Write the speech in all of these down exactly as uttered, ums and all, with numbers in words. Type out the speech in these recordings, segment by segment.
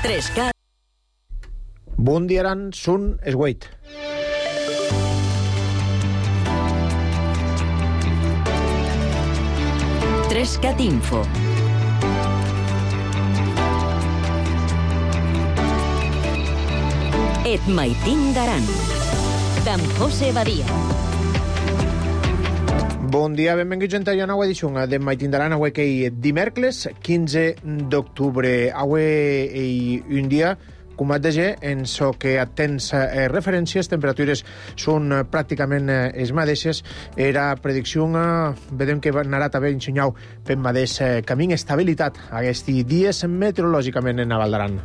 tres K. Bon dia, Aran, Sun, Esgueit. tres Cat Info. Et maitin d'Aran. D'en José Badia. Bon dia, benvinguts a una nova edició de Maitin d'Aran, avui que hi dimecres, quinze d'octubre. Avui hi un dia, com et deia, en so que atens eh, referències, temperatures són eh, pràcticament eh, les mateixes. Era predicció, eh, vedem que anarà també ensenyau per mateix eh, camí, estabilitat aquests dies meteorològicament en Naval d'Aran.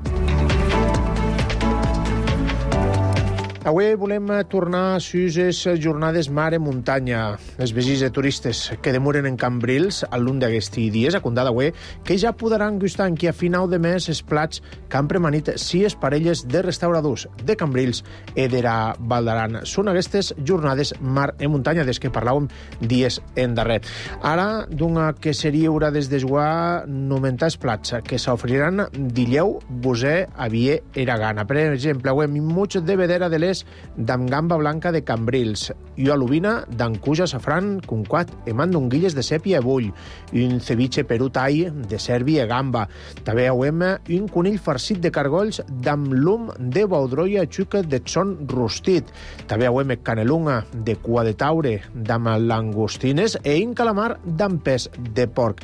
Avui volem tornar a les jornades mare-muntanya. Els visits de turistes que demoren en Cambrils al llarg d'aquests dies, a comptar d'avui, que ja podran gustar en qui a final de mes els plats que han premanit sis parelles de restauradors de Cambrils i de la Val d'Aran. Són aquestes jornades mar-muntanya des que parlàvem dies endarrer. Ara, d'una que seria hora des d'esguar nomentats plats que s'oferiran d'Illeu, Bosè, Avier i Gana. Per exemple, avui muig de vedera de l'est d'am gamba blanca de Cambrils, i alubina d'ancuja safran, conquat, emant d'unguilles de sèpia i bull, un ceviche perú tai de serbi i gamba. També hauem un conill farcit de cargolls d'am lum de baudroia i xuca de son rostit. També hauem canelunga de cua de taure d'am langostines i un calamar d'am pes de porc.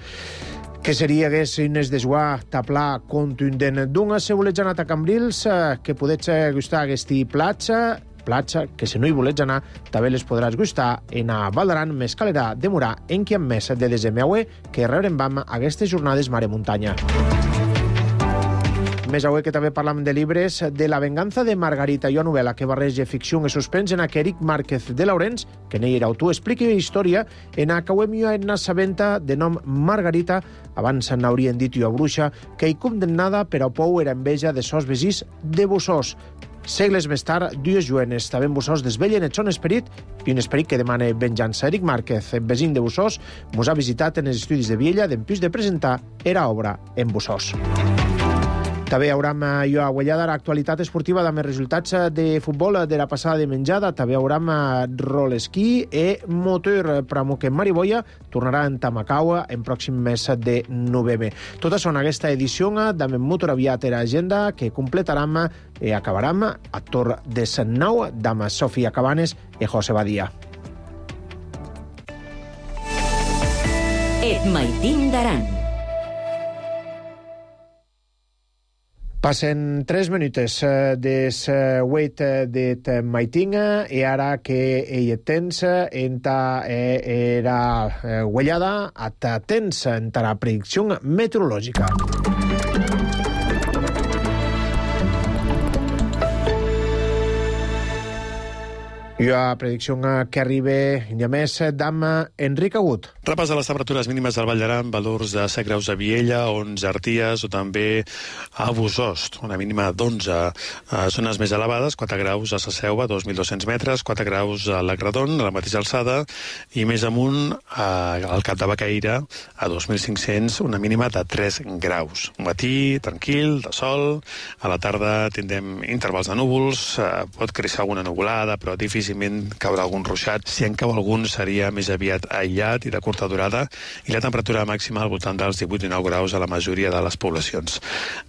Que seria hagués unes d'esguar taplà contundent d'una cebolets anat a Cambrils que podets gustar aquesti plats, plats que si no hi volets anar també les podràs gustar en a Val d'Aran, més calera demorar en qui en mes de desembre que rebrem vam aquestes jornades mare-muntanya. Més avui que també parlam de llibres, de La venganza de Margarita, una novel·la que barreja ficció i suspens en que Eric Márquez de Laurens, que n'hi era autor, explica història en a cauem en una sabenta de nom Margarita, abans n'haurien dit jo a bruixa, que hi condemnada per a pou era enveja de sos vesís de Bussós. Segles més tard, dues juenes també en Bussós desvellen el son esperit i un esperit que demana venjança. Eric Márquez, vesin de Bussós, mos ha visitat en els estudis de Viella d'empús de presentar era obra en Bussós. També haurem jo a Guellada l'actualitat esportiva amb els resultats de futbol de la passada de menjada. També haurem rolesquí i motor. Pramo que Mariboia tornarà en Tamacau en pròxim mes de novembre. Totes són aquesta edició d'Amen Motor aviat a l'agenda que completarem i acabarem a Tor de Sant Nou d'Ama Sofia Cabanes i José Badia. Et maitin d'Aran. Passen tres minutes des huit d'et maitinga i ara que hi tens enta era Guellada at tens enta la predicció meteorològica. I la predicció que arriba ja més d'am Enric Agut. Repàs de les temperatures mínimes del Vall d'Aran, valors de set graus a Viella, onze a Arties o també a Bosost, una mínima d'onze. A zones més elevades, quatre graus a Sasseua, dos mil dos-cents metres, quatre graus a l'Agradon, a la mateixa alçada, i més amunt al Cap de Bacaïra, a dos mil cinc-cents, una mínima de tres graus. Un matí tranquil, de sol, a la tarda tindrem intervals de núvols, pot créixer alguna nuvolada, però difícil caurà algun ruixat. Si en cau algun seria més aviat aïllat i de curta durada, i la temperatura màxima al voltant dels divuit i dinou graus a la majoria de les poblacions.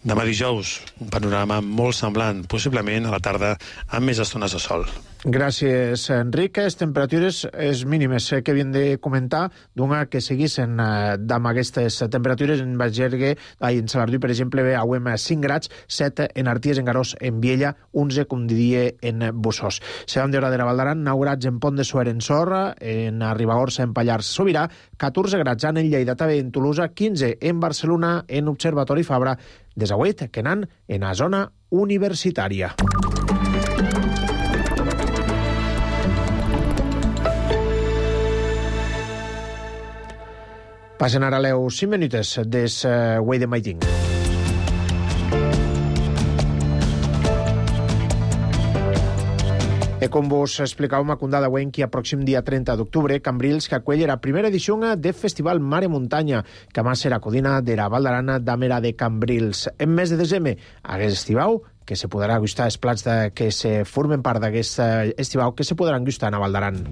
Demà dijous, un panorama molt semblant, possiblement a la tarda amb més estones de sol. Gràcies, Enric. Les temperatures és mínimes que havien de comentar d'una que seguissin amb aquestes temperatures en Bagergue, en Salardú, per exemple, hauem cinc graus, set en Arties, en Garós, en Viella, onze, com diria, en Bossós. Seran d'hora de la Val d'Aran, nou graus en Pont de Suert, en Sorra, en Ribagorça, en Pallars, Sobirà, catorze graus en Lleida, també en Tolosa, quinze en Barcelona, en Observatori Fabra, des avui que anan en la zona universitària. Passen ara les cinc minutes des uh, Way de Maiting. E com vos explicàvem a Condada Wenqui, a pròxim dia trenta d'octubre, Cambrils que acuell la primera edició de Festival Mare Muntanya, que más serà codina de la Val d'Arana d'Amera de Cambrils. En mes de desembre, hagués estivau, que se podrà gustar els plats de, que se formen part d'aquest estivau, que se podran gustar a Val d'Aran.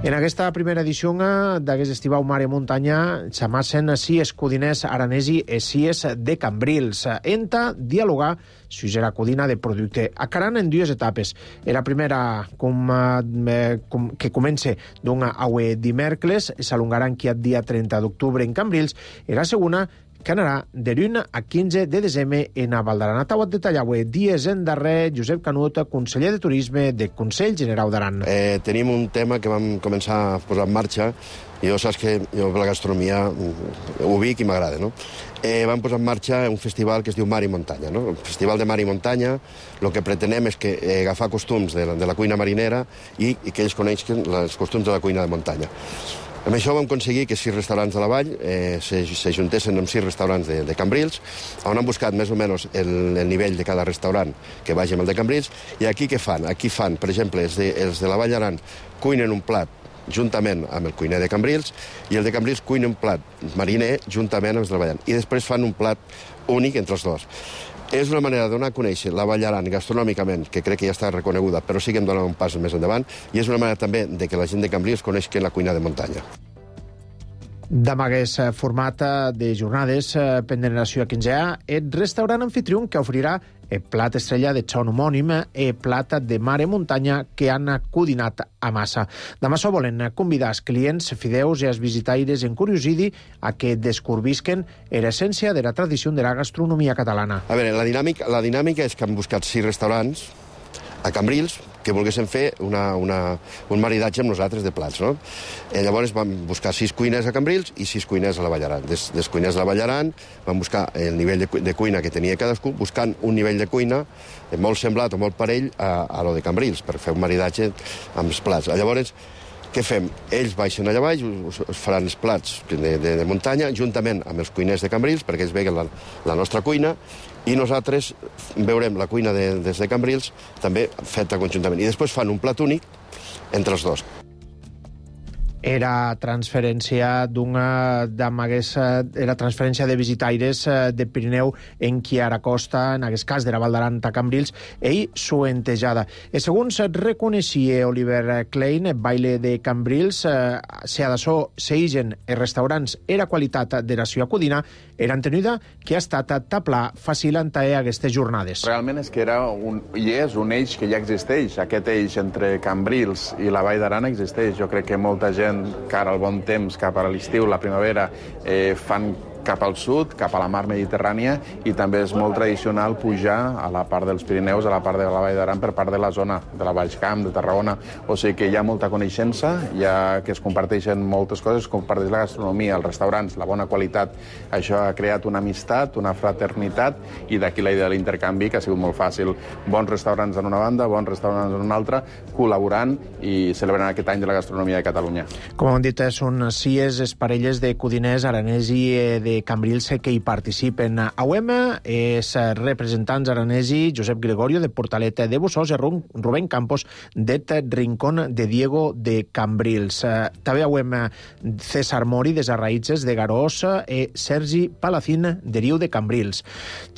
En aquesta primera edició d'aquest estivau Mare Muntanya s'amassen sis codiners aranesi i sis de Cambrils. Enta dialogar sus la codina de producte. Acaran en dues etapes. La primera com, eh, com, que comença d'un aue dimèrcles, s'alongarà aquí el dia trenta d'octubre en Cambrils, i la segona que anarà de l'un a quinze de desembre en a Val d'Aran. Tau et detallaue dies en darrer Josep Canut, conseller de Turisme de Consell Generau d'Aran. Eh, tenim un tema que vam començar a posar en marxa. Jo saps que jo la gastronomia ho vic i m'agrada, no? Eh, vam posar en marxa un festival que es diu Mar i Muntanya, no? El Festival de Mar i Muntanya, el que pretenem és que eh, agafar costums de la, de la cuina marinera i, i que ells coneixen els costums de la cuina de muntanya. Amb això vam aconseguir que sis restaurants de la vall eh, s'ajuntessin amb sis restaurants de, de Cambrils, on han buscat més o menys el, el nivell de cada restaurant que vagi amb el de Cambrils, i aquí què fan? Aquí fan, per exemple, els de, els de la Vall d'Aran cuinen un plat juntament amb el cuiner de Cambrils, i el de Cambrils cuina un plat mariner juntament amb els de la Vall d'Aran. I després fan un plat únic entre els dos. És una manera de donar a conèixer la Vall d'Aran gastronòmicament, que crec que ja està reconeguda, però sí que hem donat un pas més endavant, i és una manera també de que la gent de Cambrils coneixi la cuina de muntanya. Amb aquest format de jornades pendent la seva quinzena, el restaurant anfitrió que oferirà el plat estrella de xon homònim i plat de Mare Muntanya que han codinat a massa. Demà s'ho volen convidar els clients fideus i els visitaires encuriosidi a que descobrisquen l'essència de la tradició de la gastronomia catalana. A veure, la dinàmica, la dinàmica és que han buscat sis restaurants a Cambrils que volguessin fer una, una, un maridatge amb nosaltres de plats, no? I llavors vam buscar sis cuiners a Cambrils i sis cuiners a la Vall d'Aran. Des, des cuiners de la Vall d'Aran vam buscar el nivell de, de cuina que tenia cadascú, buscant un nivell de cuina molt semblat o molt parell a, a lo de Cambrils, per fer un maridatge amb els plats. Llavors, què fem? Ells baixen allà baix, us, us faran els plats de, de, de muntanya, juntament amb els cuiners de Cambrils, perquè ells veguen la, la nostra cuina, i nosaltres veurem la cuina de, des de Cambrils també feta conjuntament. I després fan un plat únic entre els dos. Era transferència d'una d'amagues, era transferència de visitaires de Pirineu en qui ara costa, en aquest cas de la Val d'Aran a Cambrils, ell suentejada. I segons reconeixia Oliver Klein, baile de Cambrils, se adassó seigen els restaurants era qualitat de la seva codina, era entenida que ha estat taplar fàcil entaer aquestes jornades. Realment és que era un, i és un eix que ja existeix. Aquest eix entre Cambrils i la Vall d'Aran existeix. Jo crec que molta gent cara al bon temps, cap a l'estiu, la primavera, eh, fan cap al sud, cap a la mar Mediterrània, i també és molt tradicional pujar a la part dels Pirineus, a la part de la Vall d'Aran, per part de la zona de la Baix Camp, de Tarragona. O sigui que hi ha molta coneixença, ja que es comparteixen moltes coses, es comparteix la gastronomia, els restaurants, la bona qualitat. Això ha creat una amistat, una fraternitat, i d'aquí la idea de l'intercanvi, que ha sigut molt fàcil. Bons restaurants en una banda, bons restaurants en una altra, col·laborant i celebrant aquest any de la gastronomia de Catalunya. Com hem dit, són sis les parelles de codiners aranesi de de Cambrils que hi participen. Auem és representants aranesi Josep Gregorio de Portalet de Bossós i Rubén Campos de Rincón de Diego de Cambrils. També auem César Mori des Arraïtzes de Garós i Sergi Palacín de Riu de Cambrils.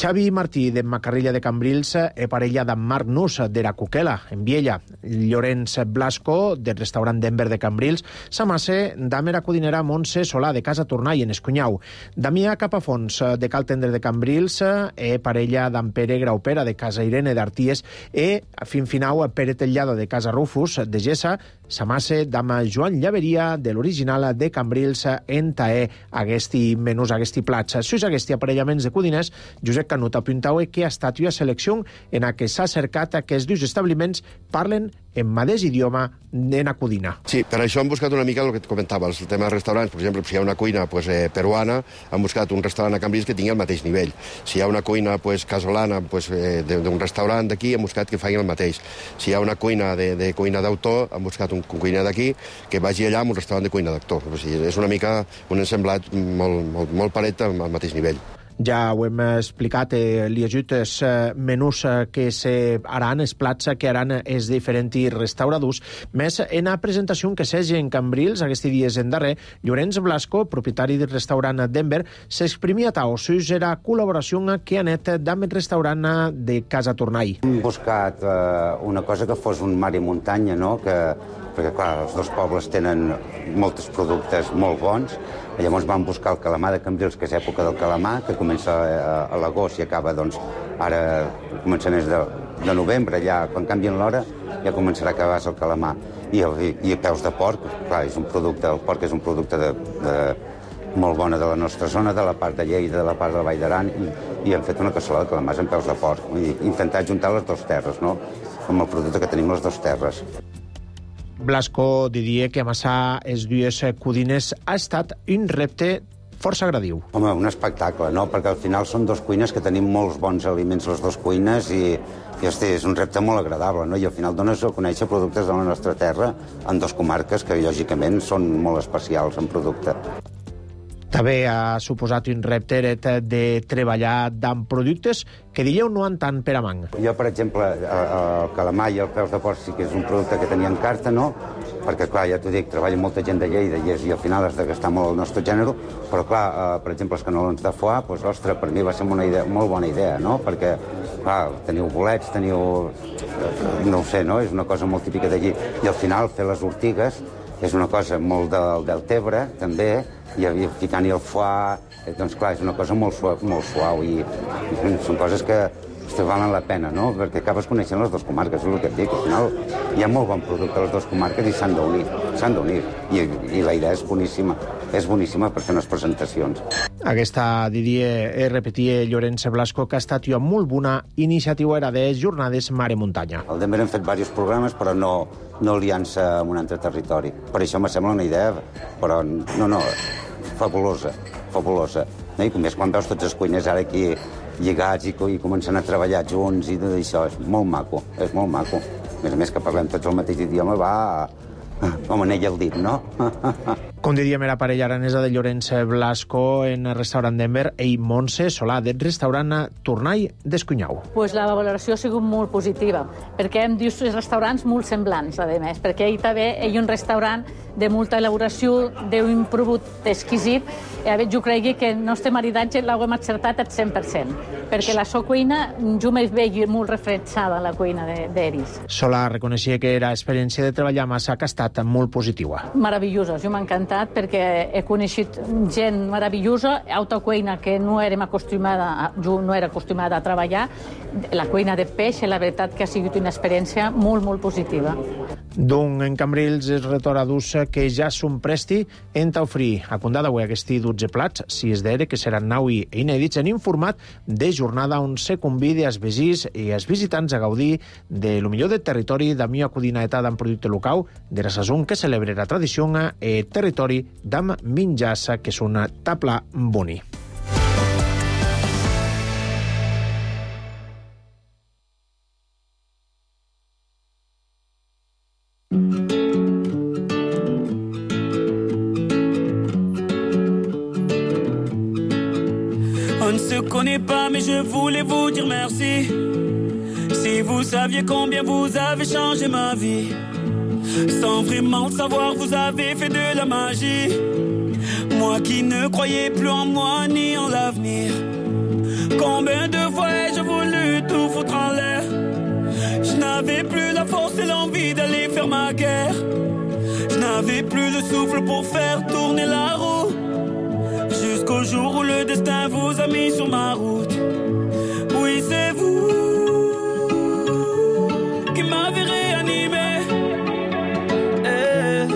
Xavi Martí de Macarrilla de Cambrils i parella d'en Marc Nus de la Cuquela en Viella. Llorenç Blasco del restaurant Denver de Cambrils s'amasse d'Amera codinera Montse Solà de Casa Tornai en Escunyau. Damià Capafons, de Cal Tendre de Cambrils, e parella d'en Pere Graupera, de Casa Irene d'Arties, e, fin finau, Pere Tellado, de Casa Rufus, de Gessa, s'amasse d'ama Joan Llaveria, de l'original de Cambrils, en taer aguesti menús, aguesti plats. Sus aguesti aparellaments de codiners, Josep Canut apuntau que ha estat una selecció en la que s'ha cercat que els dos establiments parlen en mateix idioma en la codina. Sí, per això hem buscat una mica el que et comentava, el tema dels restaurants. Per exemple, si hi ha una cuina pues, eh, peruana, hem buscat un restaurant a Cambrils que tingui el mateix nivell. Si hi ha una cuina pues, casolana pues, eh, d'un restaurant d'aquí, hem buscat que faci el mateix. Si hi ha una cuina de, de cuina d'autor, hem buscat un cuiner d'aquí que vagi allà amb un restaurant de cuina d'actor. O sigui, és una mica un ensemblat molt, molt, molt paret al mateix nivell. Ja ho hem explicat, eh, li ajut els eh, menús eh, que se haran, els plats que haran els diferents restauradors. Més, en la presentació que s'hagi en Cambrils, aquests dies en darrer, Llorenç Blasco, propietari del restaurant Denver, s'exprimia tau sus la col·laboració que ha net amb el restaurant de Casa Tornall. Hem buscat eh, una cosa que fos un mar i muntanya, no? Que, perquè, clar, els dos pobles tenen molts productes molt bons. Llavors vam buscar el calamar de Cambrils, que és època del calamar, que comença a, a l'agost i acaba, doncs, ara comença mes de, de novembre, ja, quan canvien l'hora, ja començarà a acabar el calamar. I, el, i peus de porc, clar, és un producte, el porc és un producte de, de molt bona de la nostra zona, de la part de Lleida, de la part de la Vall d'Aran, i, i hem fet una cassola de calamars amb peus de porc. I intentar juntar les dues terres, no?, amb el producte que tenim les dues terres. Blasco diria que amassar els dues codines ha estat un repte força agradiu. Home, un espectacle, no?, perquè al final són dos cuines que tenim molts bons aliments, les dues cuines, i, i hosti, és un repte molt agradable, no?, i al final dones a conèixer productes de la nostra terra en dues comarques que, lògicament, són molt especials en producte. També ha suposat un repte de treballar amb productes que dieu no han tant per a man. Jo, per exemple, el calamar i el peus de porc sí que és un producte que tenia en carta, no?, perquè, clar, ja t'ho dic, treballa molta gent de Lleida i, és, i al final has de gastar molt el nostre gènere, però, clar, eh, per exemple, els canelons de foie, doncs, ostres, per mi va ser una idea, molt bona idea, no?, perquè, clar, teniu bolets, teniu... no ho sé, no?, és una cosa molt típica d'allí. I al final fer les ortigues és una cosa molt del Deltebre, també, i ficant-hi el foie, doncs clar, és una cosa molt suau, molt suau i, i són coses que hosti, valen la pena, no?, perquè acabes coneixent les dues comarques, és el que et dic, al final hi ha molt bon producte a les dues comarques i s'han d'unir, s'han d'unir, I, i la idea és boníssima, és boníssima per fer unes presentacions. Aquesta, diria, repetia Llorenç Blasco, que ha estat una molt bona iniciativa era de jornades Mare Muntanya. Al Denver hem fet diversos programes, però no, no aliança amb un altre territori. Per això me sembla una idea, però no, no, fabulosa, fabulosa. I més quan veus tots els cuiners ara aquí lligats i, i comencen a treballar junts i tot això, és molt maco, és molt maco. A més a més que parlem tots el mateix idioma, va com anell al dit, no? Com diríem, era parella aranesa de Llorenç Blasco en el restaurant Denver i Montse Solà, del restaurant Tornall d'Escunyau. Pues la valoració ha sigut molt positiva, perquè hem dit restaurants molt semblants, a més, perquè ell també hi ha un restaurant de molta elaboració, d'un producte exquisit, i a veure, jo cregui que el nostre maridatge l'hem acertat al cent per cent, perquè la sua cuina jo me veig molt refrescada en la cuina d'Eris. Solà reconeixia que era experiència de treballar massa que ha estat molt positiva. Meravellosa, jo m'ha encantat perquè he coneixit gent meravellosa, alta cuina que no érem acostumada, jo no era acostumada a treballar, la cuina de peix, la veritat que ha sigut una experiència molt, molt positiva. D'un en Cambrils és restauradors que ja són presti en t'oferir a condada avui aquests dotze plats, si és d'ere que seran nou i inèdits en informat de jornada on se convida els veïns i els visitants a gaudir de lo millor del territori d'amb una codinaeta d'en producte local de la sason que celebra la tradició e territori d'amb menjars que són tabla boni. On ne se connaît pas, mais je voulais vous dire merci. Si vous saviez combien vous avez changé ma vie. Sans vraiment le savoir, vous avez fait de la magie. Moi qui ne croyais plus en moi ni en l'avenir. Combien de fois ai-je voulu tout foutre en l'air. Je n'avais plus la force et l'envie d'aller faire ma guerre. Je n'avais plus le souffle pour faire tourner la roue. Jusqu'au jour où le destin vous a mis sur ma route. Oui, c'est vous qui m'avez réanimé. Et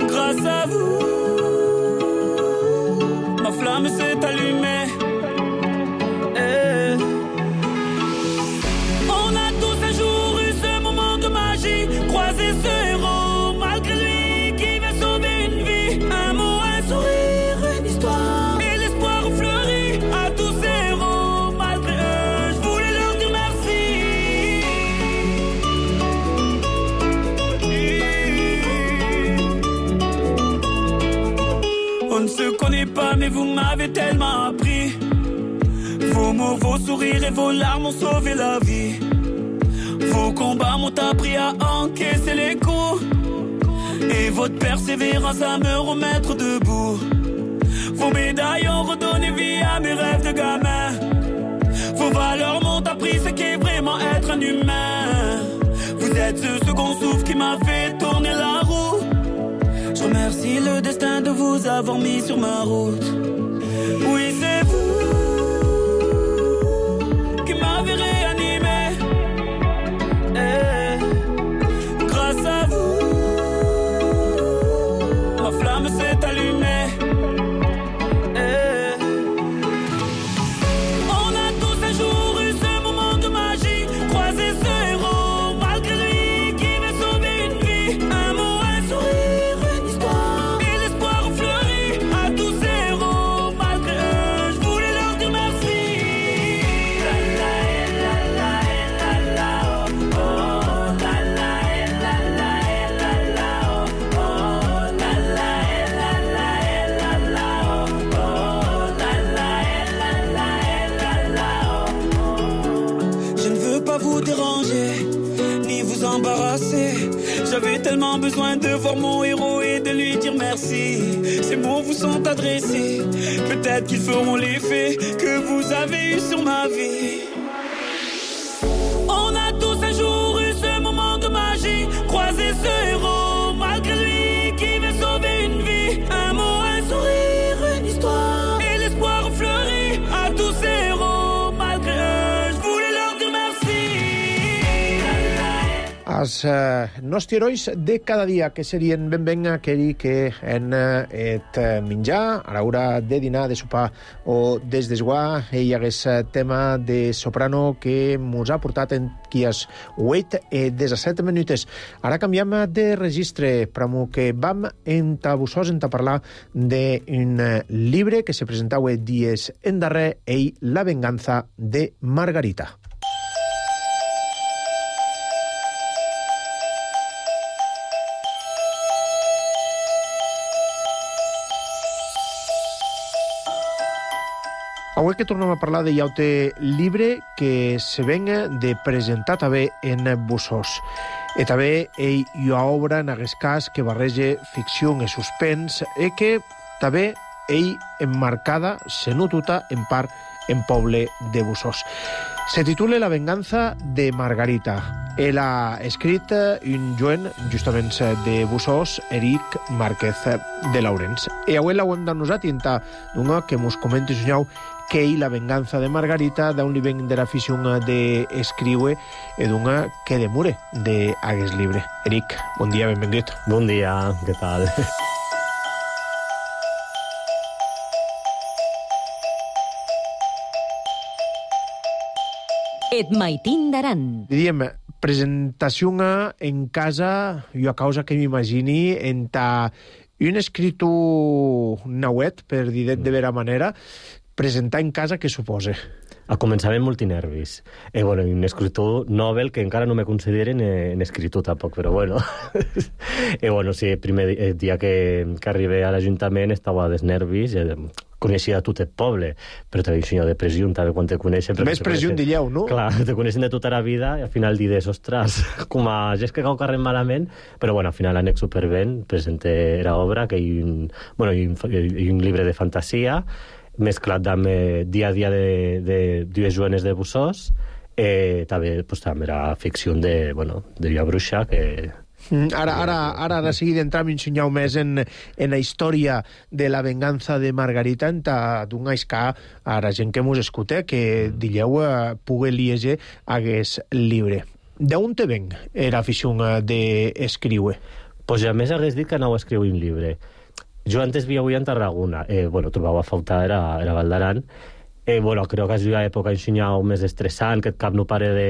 grâce à vous, ma flamme s'est allumée. Et on a tous un jour eu ce moment de magie. Croiser ce héros malgré lui qui va sauver une vie. Un mot, un sourire, une histoire. Et l'espoir fleurit à tous ces héros. Malgré eux, je voulais leur dire merci. On ne se connaît pas, mais vous m'avez tellement appris Vos mots, vos sourires et vos larmes ont sauvé la vie. Vos combats m'ont appris à encaisser les coups. Et votre persévérance à me remettre debout. Vos médailles ont redonné vie à mes rêves de gamin. Vos valeurs m'ont appris ce qu'est vraiment être un humain. Vous êtes ce second souffle qui m'a fait tourner la roue. Je remercie le destin de vous avoir mis sur ma route. Oui, c'est vous qui m'avez réanimé. Eh, grâce à vous, ma flamme s'est allumée. Eh, on a tous un jour eu ce moment de magie, croisé ce héros malgré lui qui veut sauver une vie. Un mot, un sourire, une histoire et l'espoir ont fleuri. À tous ces héros malgré eux, je voulais leur dire merci. La la la la la la oh oh la la la la la la oh oh la la la la la la oh oh la la la la la oh. Je ne veux pas vous déranger ni vous embarrasser. J'avais tellement besoin de voir mon héros et de lui dire merci. Ces mots vous sont adressés, peut-être qu'ils feront l'effet que vous avez eu sur ma vie. On a tous un jour eu ce moment de magie, croisé ce héros malgré lui qui veut sauver une vie. Un mot, un sourire, une histoire et l'espoir ont fleuri. À tous ces héros malgré eux, je voulais leur dire merci. Els eh, nostres herois de cada dia, que serien ben ben aquells que han eh, et eh, menjar a l'hora de dinar, de sopar o des d'esguar. Hi hagués eh, tema de soprano que mos ha portat en quies vuit i disset minutes. Ara canviem de registre, però que vam enta Bussós enta parlar d'un eh, llibre que se presentava dies en darrer, ell, La venganza de Margarita. Avui que tornem a parlar de llaute llibre que se venga de presentar també en Bussós. E també ell hi ha obra en aquest cas que barreja ficció i suspens e que també ell emmarcada, se notuta en part en poble de Bussós. Se titula La venganza de Margarita. Ell ha escrit un joven, justament de Bussós, Eric Márquez de Laurens. I avui l'hem d'anusat i enta d'una que mos comenti soñau que ell, La venganza de Margarita, d'un li ven de l'afició d'escriure i d'una que demure d'aquest llibre. Eric, bon dia, benvingut. Bon dia, què tal? Et maitin d'aran. Diríem, presentació en casa, jo a causa que m'imagini, enta un escritor nauet, per dir de vera manera, presentar en casa què suposa? A començament multinervis. Eh, bueno, un escritor novel que encara no me consideren en escritor tampoc, però bueno. eh, bueno, sí, el primer dia que, que arribé a l'Ajuntament estava dels nervis, eh, coneixia tot el poble, però també un senyor de pressió, també quan te coneixen... Més pressió dilleu, no? Clar, te coneixen de tota la vida i al final dides, ostres, com a gest que cau carrer malament, però bueno, al final anec superben, presenté la obra, que hi ha un, bueno, hi ha un, hi ha un llibre de fantasia, mesclat amb eh, dia a dia de, de dues jovenes de Bussós, eh, també, pues, també era ficció de, bueno, de Via Bruixa, que... Ara, ara, ara, ara seguir d'entrar m'ensenyau més en, en la història de La venganza de Margarita, en d'un aiscar a la gent que mos escuta, que dilleu eh, pugui llegir aquest llibre. D'on te ven l'afició d'escriure? Pues ja més hagués dit que anau a escriure un llibre. Jo antes vivia en Tarragona, eh, bueno, trobava a faltar, era, era Val d'Aran. Eh, bueno, crec que és una època ensenyau més estressant, que et cap no pare de,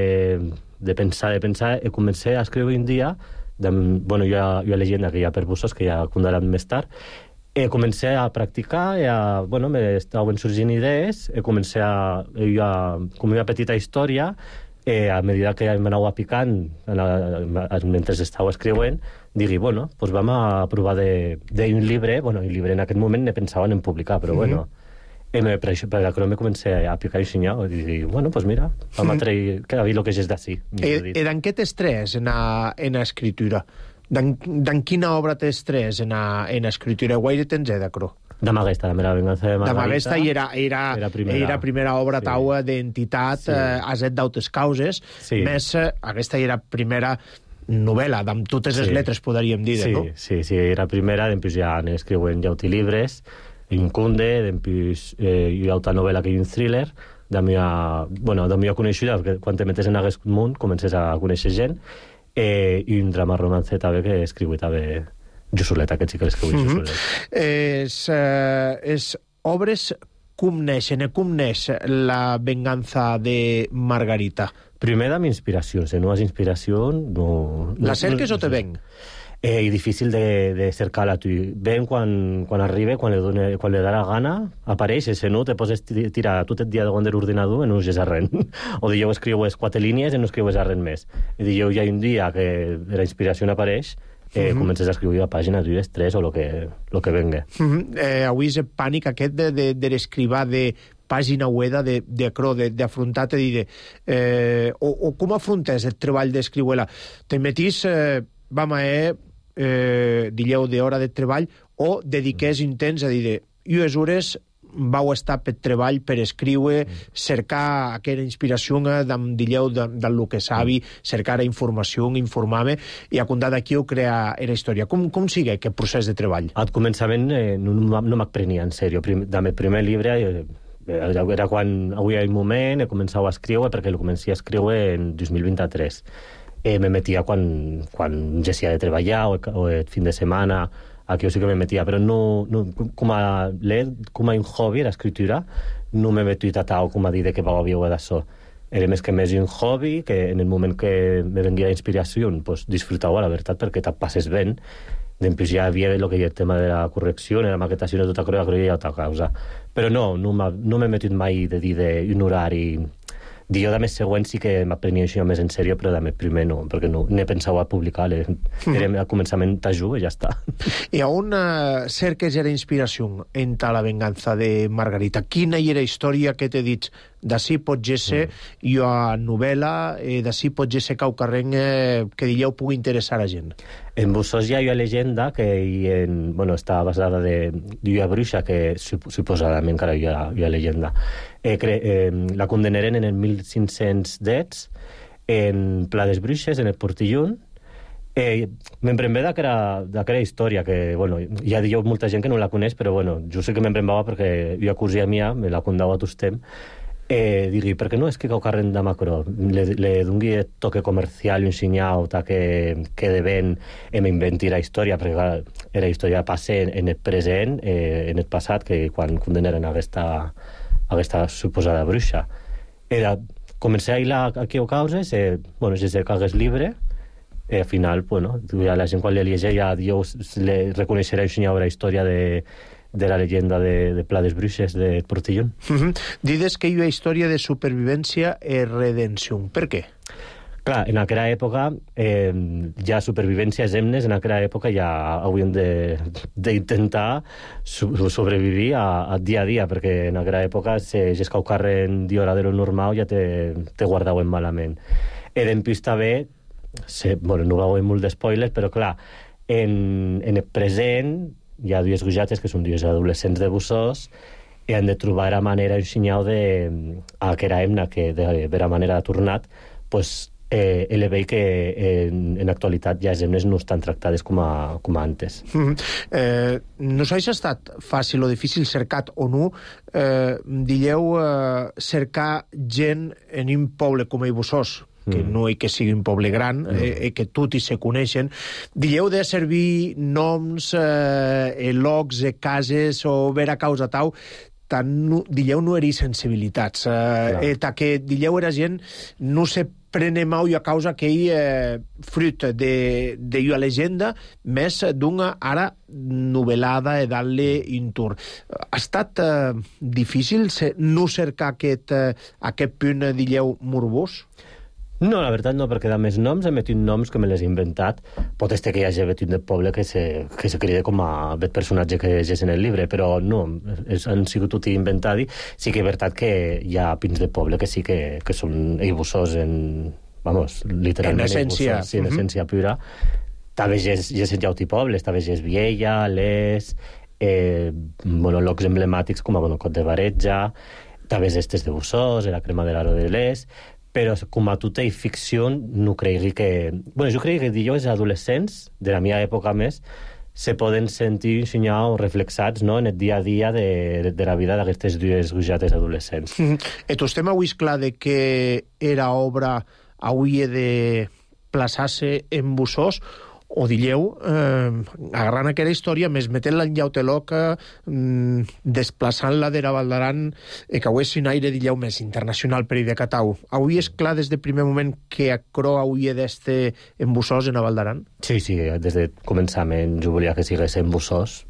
de pensar, de pensar, i comencé a escriure un dia, de, bueno, jo, jo llegenda que hi ha per Bussós, que ja condaran més tard, i comencé a practicar, i a, bueno, m'estaven sorgint idees, i comencé a, a, com una petita història, eh, a mesura que m'anava picant mentre estava escrivint, digui, bueno, doncs vam a provar d'un llibre, bueno, el llibre en aquest moment ne pensaven en publicar, però mm-hmm. bueno, E me, per, això, per aquello me comencé a picar i xinyar, i dir, bueno, pues mira, vam a trair, que a dir lo que és d'ací. E, e d'en què t'estrès en a, en a escritura? D'en quina obra t'estrès en a, en a escritura? Guaire tens eh, d'acro? D'Amaguesta, la meva venganza de Margarita. D'Amaguesta i era, era, era, primera. era primera obra sí. taua d'entitat, sí. eh, aset d'autes causes, sí. més eh, aquesta era primera novel·la, amb totes les sí. lletres, podríem dir, sí, no? Sí, sí, era primera, després ja escriuen autilibres, Incunde, després eh, hi ha altra novel·la que hi ha un thriller, de meva, bueno, de meva coneixida, perquè quan te metes en aquest món comences a conèixer gent, eh, i un drama romance també que escriu també Jussolet, aquest sí que l'escriu mm -hmm. Jussolet. És, eh, és obres com neixen, com neix la venganza de Margarita? Primer amb inspiracions, en unes inspiracions no... La cerques no, o te ven? Eh, i difícil de, de cercar-la tu. Ven quan, quan arriba, quan li, dona, quan li da la gana, apareix, i si no, te poses tirar tot el dia davant de l'ordinador i no us a res. O dijous escriues quatre línies i no escriues a res més. I dijous hi ha un dia que la inspiració apareix, eh, mm -hmm. comences a escriure a pàgina, dues, tres, o lo que, lo que venga. Mm -hmm. eh, avui és el pànic aquest de, de, de l'escrivar de pàgina web de, de acro, d'afrontar-te, de, eh, o, o com afrontes el treball d'escriure-la? Te metís, eh, vam a eh, eh, dilleu d'hora de treball, o dediqués intents a dir, ues hores vau estar per treball, per escriure, cercar aquella inspiració d'en dilleu del que sabi, cercar informació, informar-me, i a comptar d'aquí ho crea la història. Com, com sigue aquest procés de treball? Al començament eh, no, no m'aprenia en sèrio. Prim, del primer llibre eh, era quan avui hi ha un moment, he començat a escriure, perquè el començai a escriure en dos mil vint-i-tres. Eh, me metia quan, quan gessia de treballar o, o el fin de setmana, aquí sí que me metia, però no, no com a com a un hobby, l'escriptura, no me meto tatau com a dir que va viure d'això. Era més que més un hobby, que en el moment que me venguia inspiració, pues, disfrutava, la veritat, perquè te'n passes ben. Després ja hi havia el que hi ha el tema de la correcció, la maquetació de tota cosa, hi ha altra causa. Però no, no, no m'he metit mai de dir d'un horari. Jo de més següent sí que m'aprenia això més en sèrio, però de més primer no, perquè no n'he pensat a publicar. Era al començament t'ajuda i ja està. I on uh, cerques era inspiració en la venganza de Margarita? Quina era la història que t'he dit? D'ací pot ser mm. jo a novel·la, eh, d'ací pot ser caucarrenc eh, que dieu pugui interessar a gent. En Bussos hi ha una llegenda que hi en, bueno, està basada de una bruixa que suposadament encara hi ha, hi ha llegenda. Eh, cre, eh, la condenaren en el mil cinc-cents dets en Pla des Bruixes, en el Portillón. Eh, me'n premvé d'aquella història que, bueno, ja diu molta gent que no la coneix, però bueno, jo sí que me'n prembava perquè jo a cosía mia, me la contava a tostem. Eh, digui, per què no és que caucarren de macro? Le, le dongui el toque comercial i un sinyau que, que de ben em inventi la història, perquè clar, era història de passe en el present, eh, en el passat, que quan condenaren aquesta, aquesta suposada bruixa. Era, comencé a hilar aquí o causes, eh, bueno, si se cagués libre, i al final, bueno, la gent quan li llegeix ja Dios le reconeixerà un sinyau la història de de la llegenda de, de Pla des Bruixes de Portillón. Uh -huh. Dides que hi ha història de supervivència i redenció. Per què? Clar, en aquella època eh, ja supervivències hemnes, en aquella època ja hauríem d'intentar so sobrevivir a, a dia a dia, perquè en aquella època si és que ho carren d'hora de lo normal ja te, te guardaven malament. I després també, se, bueno, no va haver molt d'espoilers, però clar, en, en el present hi ha dues gujates que són dues adolescents de Bussos i han de trobar la manera, un sinyau de a que era hemna, que de vera manera ha tornat, pues, eh, ele veig que en, en actualitat ja les hemnes no estan tractades com a, com a antes. Mm -hmm. eh, no s'ha estat fàcil o difícil cercat o no, eh, dieu eh, cercar gent en un poble com a Bussos, que mm. no hi que sigui un poble gran, mm. eh, que tot hi se coneixen. Dieu de servir noms, eh, locs, eh, cases, o ver a causa tau, tant, no, dieu no eri sensibilitats. Eh, eh, ta que dieu era gent, no se prene mau a causa que hi eh, fruit de, de una llegenda, més d'una ara novel·lada i dar-li un tour. Ha estat eh, difícil no cercar aquest, eh, aquest punt, dieu, morbós? No, la veritat no, perquè de més noms he metit noms que me les he inventat. Pot ser que hi hagi vetit de poble que se, que se crida com a bet personatge que llegeix en el llibre, però no, és, han sigut tot inventadi. Sí que és veritat que hi ha pins de poble que sí que, que són eibussors en... Vamos, literalment en essència. Eibussors, sí, en uh -huh. essència pura. També és en Jauti Pobles, també és Viella, Les, eh, monologs emblemàtics com a Bonocot de Baretja, també és estes de Bussós, la crema de l'aro de Les, però com a tota i ficció no cregui que... Bueno, jo crec que dilluns adolescents, de la meva època més, se poden sentir ensenyar o reflexats, no?, en el dia a dia de, de la vida d'aquestes dues gujates adolescents. Mm -hmm. Et estem avui clar de que era obra avui de plaçar-se en Bussós, o dilleu, eh, agarrant aquella història, més metent-la en Llauteloca, mm, desplaçant-la d'Era Valdaran, eh, que avui és un aire, dilleu, més internacional per i de Catau. Avui és clar des del primer moment que acro avui d'este en Bussós, en Valdaran? Sí, sí, des de començament jo volia que sigués en Bussós.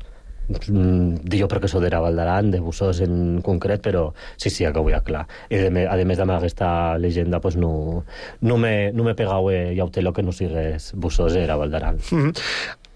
Dic perquè sóc d'Era Valdaran, de Bussós en concret, però sí, sí, que avui és clar. I a més amb aquesta llegenda pues, no, no me, no me pegau a Llauteloca que no sigués Bussós Era Valdaran. Mm -hmm.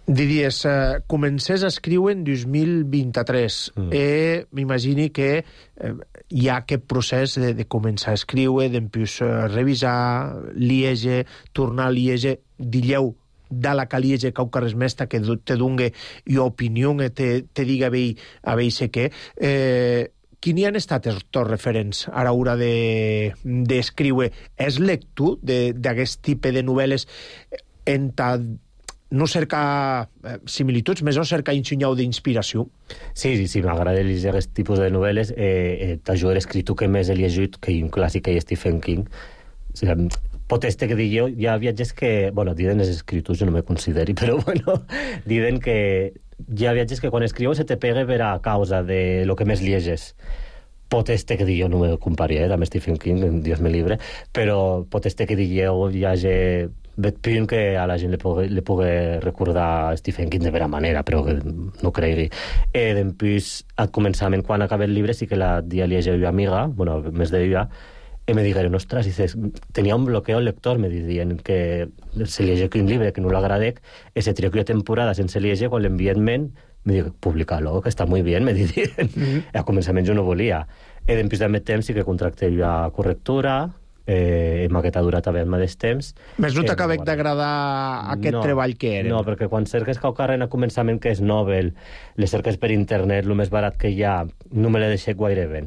Diries, eh, comencés a escriure en dos mil vint-i-tres. Mm. Eh, m'imagini que eh, hi ha aquest procés de, de començar a escriure, d'empús eh, revisar, liege, tornar a liege, dilleu, de la caliege cau carres mesta que te dungue i opinió te, te diga a vei, a vei sé què. Eh, quini han estat els tots referents a l'hora d'escriure? De, és lector d'aquest tipus de novel·les en ta, no cerca eh, similituds, més o cerca ensenyau d'inspiració? Sí, sí, sí, m'agrada llegir aquest tipus de novel·les. Eh, eh, T'ajuda l'escriptor que més he llegit, que hi ha un clàssic que hi ha Stephen King. O sigui, pot este que dic hi ha viatges que... Bueno, diuen els escriptors, jo no me consideri, però bueno, diuen que hi ha viatges que quan escriu se te pega per a causa de lo que més lleges. Pot este que dic jo, no me comparia, eh, amb Stephen King, Dios me libre, però pot este que dic jo hi hagi vet punt que a la gent li pugui, li pugui recordar Stephen King de vera manera, però que no cregui. Eh, Després, al començament, quan acabé el llibre, sí que la dia llegia una amiga, bueno, més de ella, i me digueren, ostres, dices, tenia un bloqueo lector, me dient que se llegia un llibre que no l'agradec, i se trió que temporada sense llegia, quan l'enviament, me dic, publica-lo, que està molt bé, me dient. Mm -hmm. A començament jo no volia. I després de més temps sí que contracté la correctura, eh, maquetadura també al mateix temps. Més no t'acaba eh, d'agradar aquest no, treball que era? No, perquè quan cerques Caucarren a començament que és novel, les cerques per internet, el més barat que hi ha, no me l'he deixat gaire bé.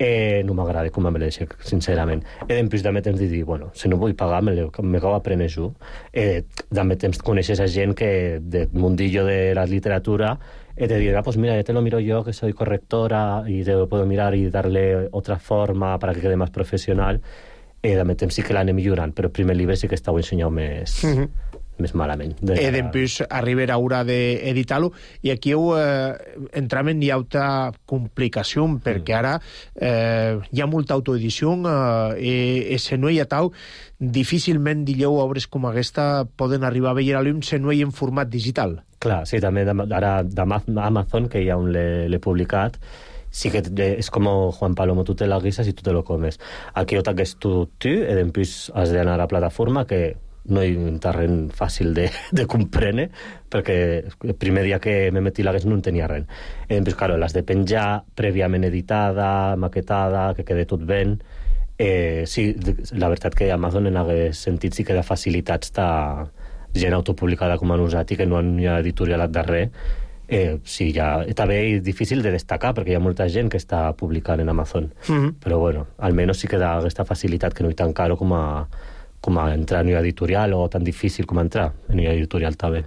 Eh, no m'agrada com me l'he sincerament. E després també temps de dir, bueno, si no vull pagar, me l'acabo aprenent jo. Eh, també temps coneixes a gent que del mundillo de la literatura e te dirà, pues mira, ya te lo miro yo, que soy correctora, y te lo puedo mirar y darle otra forma para que quede más profesional. Eh, també temps sí que l'anem millorant, però el primer llibre sí que estava ensenyat més... Mm -hmm. més malament. De... E després arribarà hora d'editar-lo, i aquí heu, eh, entram en llauta complicació, perquè ara eh, hi ha molta autoedició, eh, i se no hi ha tau, difícilment, dilleu, obres com aquesta poden arribar a veure a l'ull se no hi ha en format digital. Clar, sí, també ara d'Amazon, que ja on l'he publicat, sí que és com Juan Palomo, tu te la guisas i tu te lo comes. Aquí ho t'hagués tu, tu, i després has d'anar a la plataforma, que no hi ha un terreny fàcil de, de comprendre, perquè el primer dia que me metí l'hagués no en tenia res. I després, claro, l'has de penjar prèviament editada, maquetada, que quede tot ben. Eh, sí, la veritat que Amazon en hagués sentit sí que de facilitats està gent autopublicada com a nosaltres, que no hi ha editorialat de res. Eh, sí, ja, també és difícil de destacar, perquè hi ha molta gent que està publicant en Amazon. Mm-hmm. Però bueno, almenys sí que da aquesta facilitat que no és tan caro com a com a entrar en una editorial, o tan difícil com a entrar en una editorial també.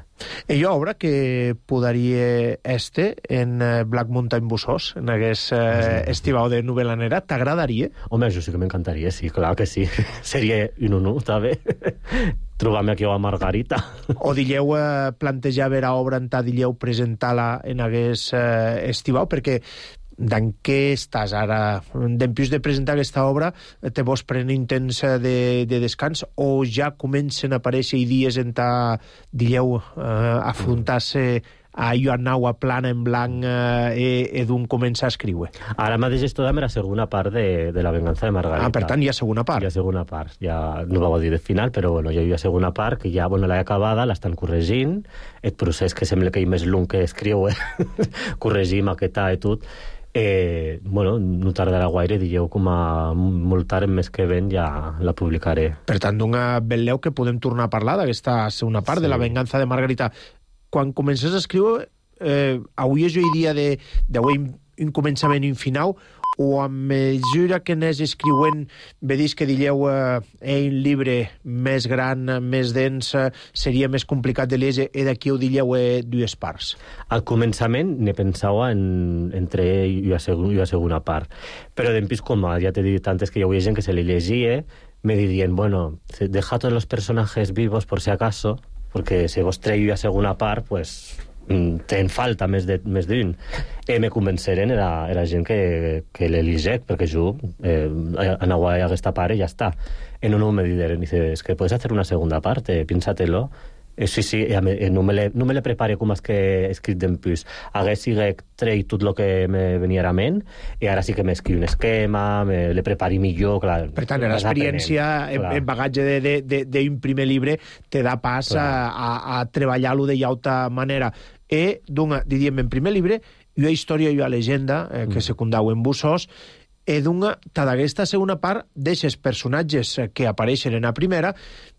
Hi ha obra que podaria este en Black Mountain Bussós, en aquest eh, estivau de novel·la negra, t'agradaria? Home, això sí que m'encantaria, sí, clar que sí. Seria un honor, també, trobar-me aquí a Margarita. O dilleu eh, plantejar veure obra en ta, dilleu presentar-la en aquest eh, estivau, perquè d'en què estàs ara? Després de presentar aquesta obra, te vols prendre un temps de, de descans, o ja comencen a aparèixer idees en ta, dilleu, eh, afrontar-se a jo anaua plana en blanc eh, e d'un començar a escriure. Ara mateix esto dame la segona part de, de La venganza de Margarita. Ah, per tant, hi ha segona part. Hi ha segona part. Ja no va dir de final, però bueno, ja hi ha segona part que ja bueno, l'he acabada, l'estan corregint, el procés que sembla que hi més lung que escriu, eh? corregir, maquetar i tot. Eh, bueno, no tardarà gaire, digueu, com a molt tard, més que ven, ja la publicaré. Per tant, d'una vetlleu que podem tornar a parlar d'aquesta segona part sí. de La venganza de Margarita. Quan comences a escriure, eh, avui és el dia de, d'avui un començament i un final, o a mesura que anés escriuent vedis que digueu eh, un llibre més gran, més dens, seria més complicat de llegir, i d'aquí ho digueu eh, dues parts? Al començament ne pensava en, entre i la, segon, i la segona part, però d'empís com ja t'he dit antes que hi havia gent que se li llegia, me dirien, bueno, deja tots els personatges vivos por si acaso, perquè si vos treu la segona part, pues ten falta més de, més d'un. E me convenceren era, era gent que, que l'eligec, perquè jo eh, anava a aquesta part i ja està. E no, no me dideren, dice, es que puedes hacer una segunda parte, piénsatelo. Eh, sí, sí, eh, no, me le, no me le prepare com és que he escrit d'empús. Hagués sigut treit tot el que me venia a la ment, i ara sí que m'escriu un esquema, me le prepari millor, clar. Per tant, l'experiència, el bagatge d'un primer llibre te da pas a, a, a treballar-lo de llauta manera. E, d'una, diríem, en primer llibre, hi ha història i hi ha llegenda, eh, que mm. secundau en bussos, e d'una, ta d'aquesta segona part, d'eixes personatges que apareixen en la primera,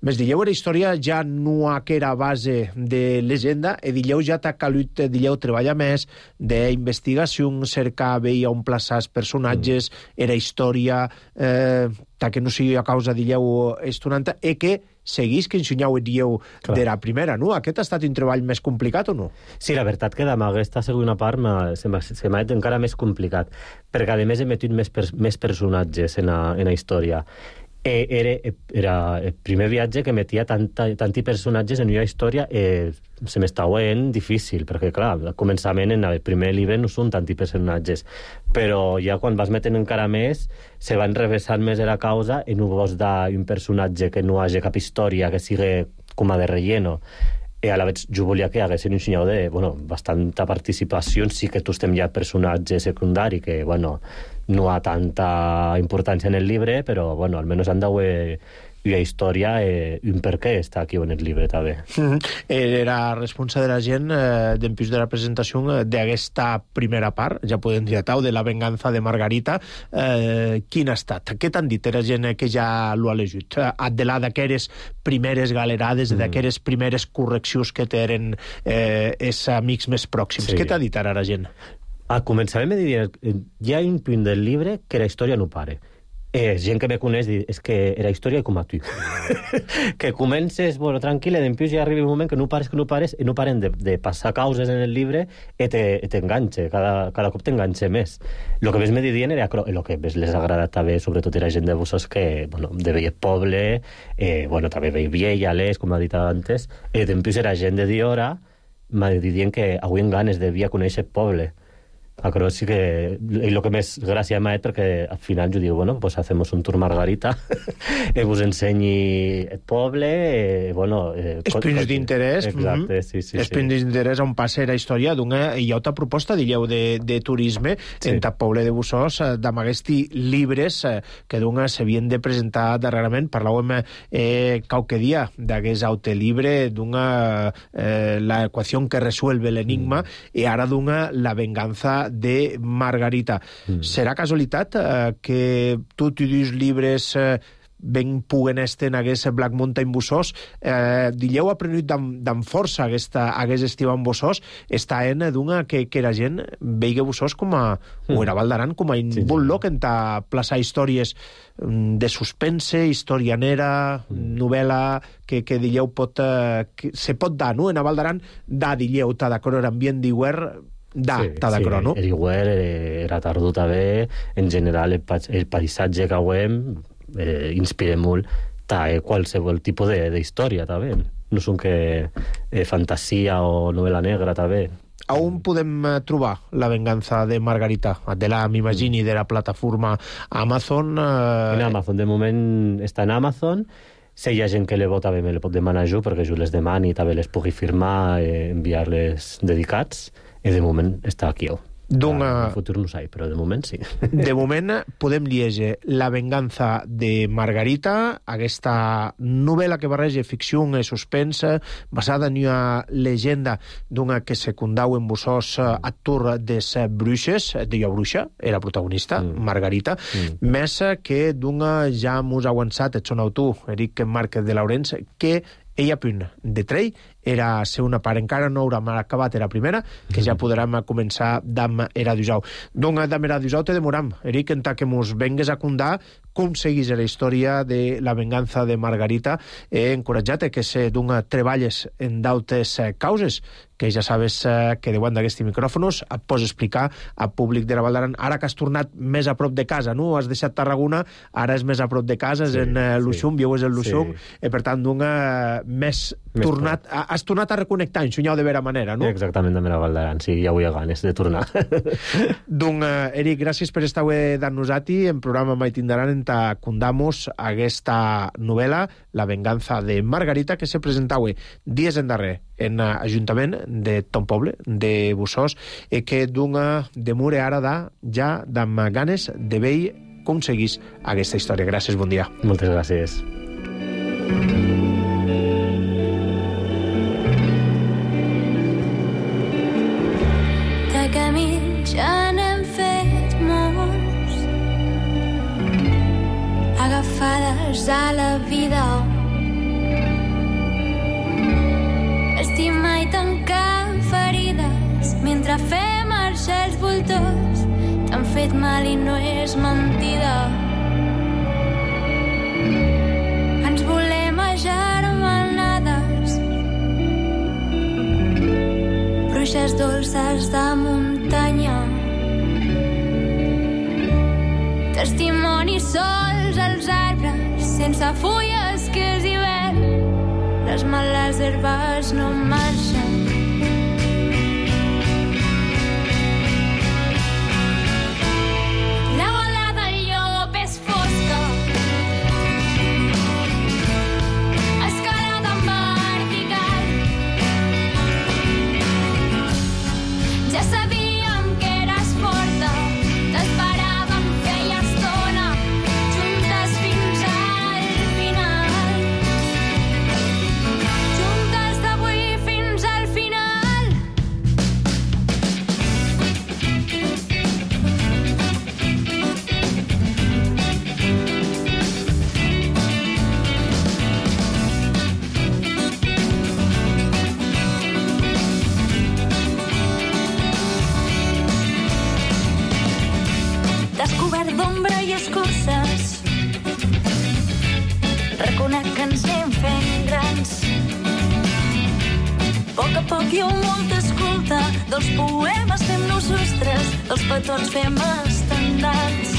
més dilleu era història ja no que era base de llegenda, e dilleu ja t'ha calut, dilleu treballar més d'investigació, cercar, veia on plaçar els personatges, mm. era història, eh, ta que no sigui a causa, dilleu, estonanta, e que seguís que ensenyau, dieu, de la primera, no? Aquest ha estat un treball més complicat o no? Sí, la veritat que amb aquesta segona part se m'ha fet encara més complicat, perquè a més he metut més, per, més personatges en la, en la història. E, era, era el primer viatge que metia tanta, tanti personatges en una història e se m'estava veient difícil, perquè clar, al començament en el primer llibre no són tanti personatges, però ja quan vas metent encara més se van reversant més a la causa i no vols dar un personatge que no hagi cap història, que sigui com a de relleno. I a la vegada jo volia que haguessin un senyal de, bueno, bastanta participació, sí que tu estem ja personatge secundari, que, bueno, no ha tanta importància en el llibre, però, bueno, almenys han d'haver una història i un per què està aquí en el llibre, també. Mm-hmm. Era responsable de la gent eh, d'empús de la presentació d'aquesta primera part, ja podem dir tau, de La venganza de Margarita. Eh, quin ha estat? Què t'han dit? Era gent que ja l'ho ha llegit. Addelà d'aqueres primeres galerades, mm. d'aqueres primeres correccions que tenen eh, els amics més pròxims. Sí. Què t'ha dit ara la gent? Al començament me diria, hi ha un punt del llibre que la història no pare. Eh, gent que me coneix diu, és que era història com a tu. Que comences, bueno, tranquil·la, i després ja arriba un moment que no pares, que no pares, i no paren de, de passar causes en el llibre i t'enganxe, cada, cada cop t'enganxe més. El que més me didien era, el que més les agrada també, sobretot era gent de Bussos que, bueno, de veia poble, eh, bueno, també veia vieja, les, com ha dit antes, i després era gent de Diora, me didien que avui en ganes devia conèixer poble. Però sí que el que més gràcia m'ha fet perquè al final jo digo, bueno, pues hacemos un tour Margarita i vos ensenyi el poble eh, bueno... Eh, els punts d'interès. Exacte, sí, sí. Els punts d'interès on passa la història d'una... Hi ha altra proposta, diríeu, de, de turisme sí. en el poble de Bussos, d'amb aquests llibres que d'una s'havien de presentar darrerament. Parlàvem eh, qualque dia d'aquest autolibre d'una eh, la equació que resuelve l'enigma mm. i ara d'una La venganza de Margarita. Mm. Serà casualitat eh, que tots i dos llibres eh, ben puguen estar en aquest Black Mountain Bussos? Eh, Dilleu ha prenut d'en força aquesta, aquest estiu en Bussos, està en d'una que, que la gent veia Bussos com a, mm. o era Val d'Aran, com a un sí, bon lloc en ta plaçar històries de suspense, historianera, mm. novel·la, que, que dilleu pot, eh, que se pot dar, no? En a Val d'Aran, da dilleu, ta d'acord ambient d'iguer, da, sí, ta d'acord, sí, no? El iguer era tardó també, en general el, el paisatge que hauem eh, inspira molt ta, eh, qualsevol tipus d'història també, no són que eh, fantasia o novel·la negra també. A on podem trobar La venganza de Margarita? De la, m'imagini, de la plataforma Amazon? Eh... En Amazon, de moment està en Amazon. si hi ha gent que le vota bé, me le pot demanar jo, perquè jo les demani i també les pugui firmar, eh, enviar-les dedicats, i de moment està aquí. En el futur no sé, però de moment sí. De moment podem llegir La venganza de Margarita, aquesta novel·la que barreja ficció i suspense, basada en una llegenda d'una que secundau en Busós actor des Bruixes, deia Bruixa, era protagonista, mm. Margarita, mm. més que d'una, ja mos ha avançat, et sonau tu, Eric Márquez de Laurens, que ella punt de trell era ser una part, encara no haurà acabat era primera, que ja podrem començar d'Am era d'Usau. Donc, d'Am era d'Usau te demoram, Eric, en que mos vengues a contar com seguís la història de La venganza de Margarita. He encoratjat que se d'un treballes en d'altres causes, que ja sabes que deuen d'aquests micròfonos et pots explicar al públic de la Val d'Aran. Ara que has tornat més a prop de casa, no? Has deixat Tarragona, ara és més a prop de casa, és sí, en Luxum, sí. Viu és el Luxum, sí. I per tant, d'un més, més tornat, a, has tornat a reconnectar, en xunyau de vera manera, no? Exactament, de la Val d'Aran, sí, ja vull ganes de tornar. Doncs, Eric, gràcies per estar avui d'annos-ati, en programa mai tindran en ta condamos aquesta novel·la, La venganza de Margarita, que se presenta avui, dies en darrer, en Ajuntament de ton poble, de Busós, i que d'una demure ara da, ja d'amb ganes de veure com seguís aquesta història. Gràcies, bon dia. Moltes gràcies. De camins ja n'hem fet molts, agafades a la vida, estimar i tancar ferides mentre fem marxar els voltors. T'han fet mal i no és mentida. Ens volem agermanades, bruixes dolces de muntanya, testimonis sols als arbres sense fulles que és hivern. Les males herbes no marxen. La bola del llop és fosca, escalada en vertical. Ja sabíem que eres forta, t'esperàvem feia estona, juntes fins al final. Descobert d'ombra i escorces, reconec que ens anem fent grans. A poc a poc hi ha molta escolta, dels poemes fem-nos ostres, dels petons fem estendals.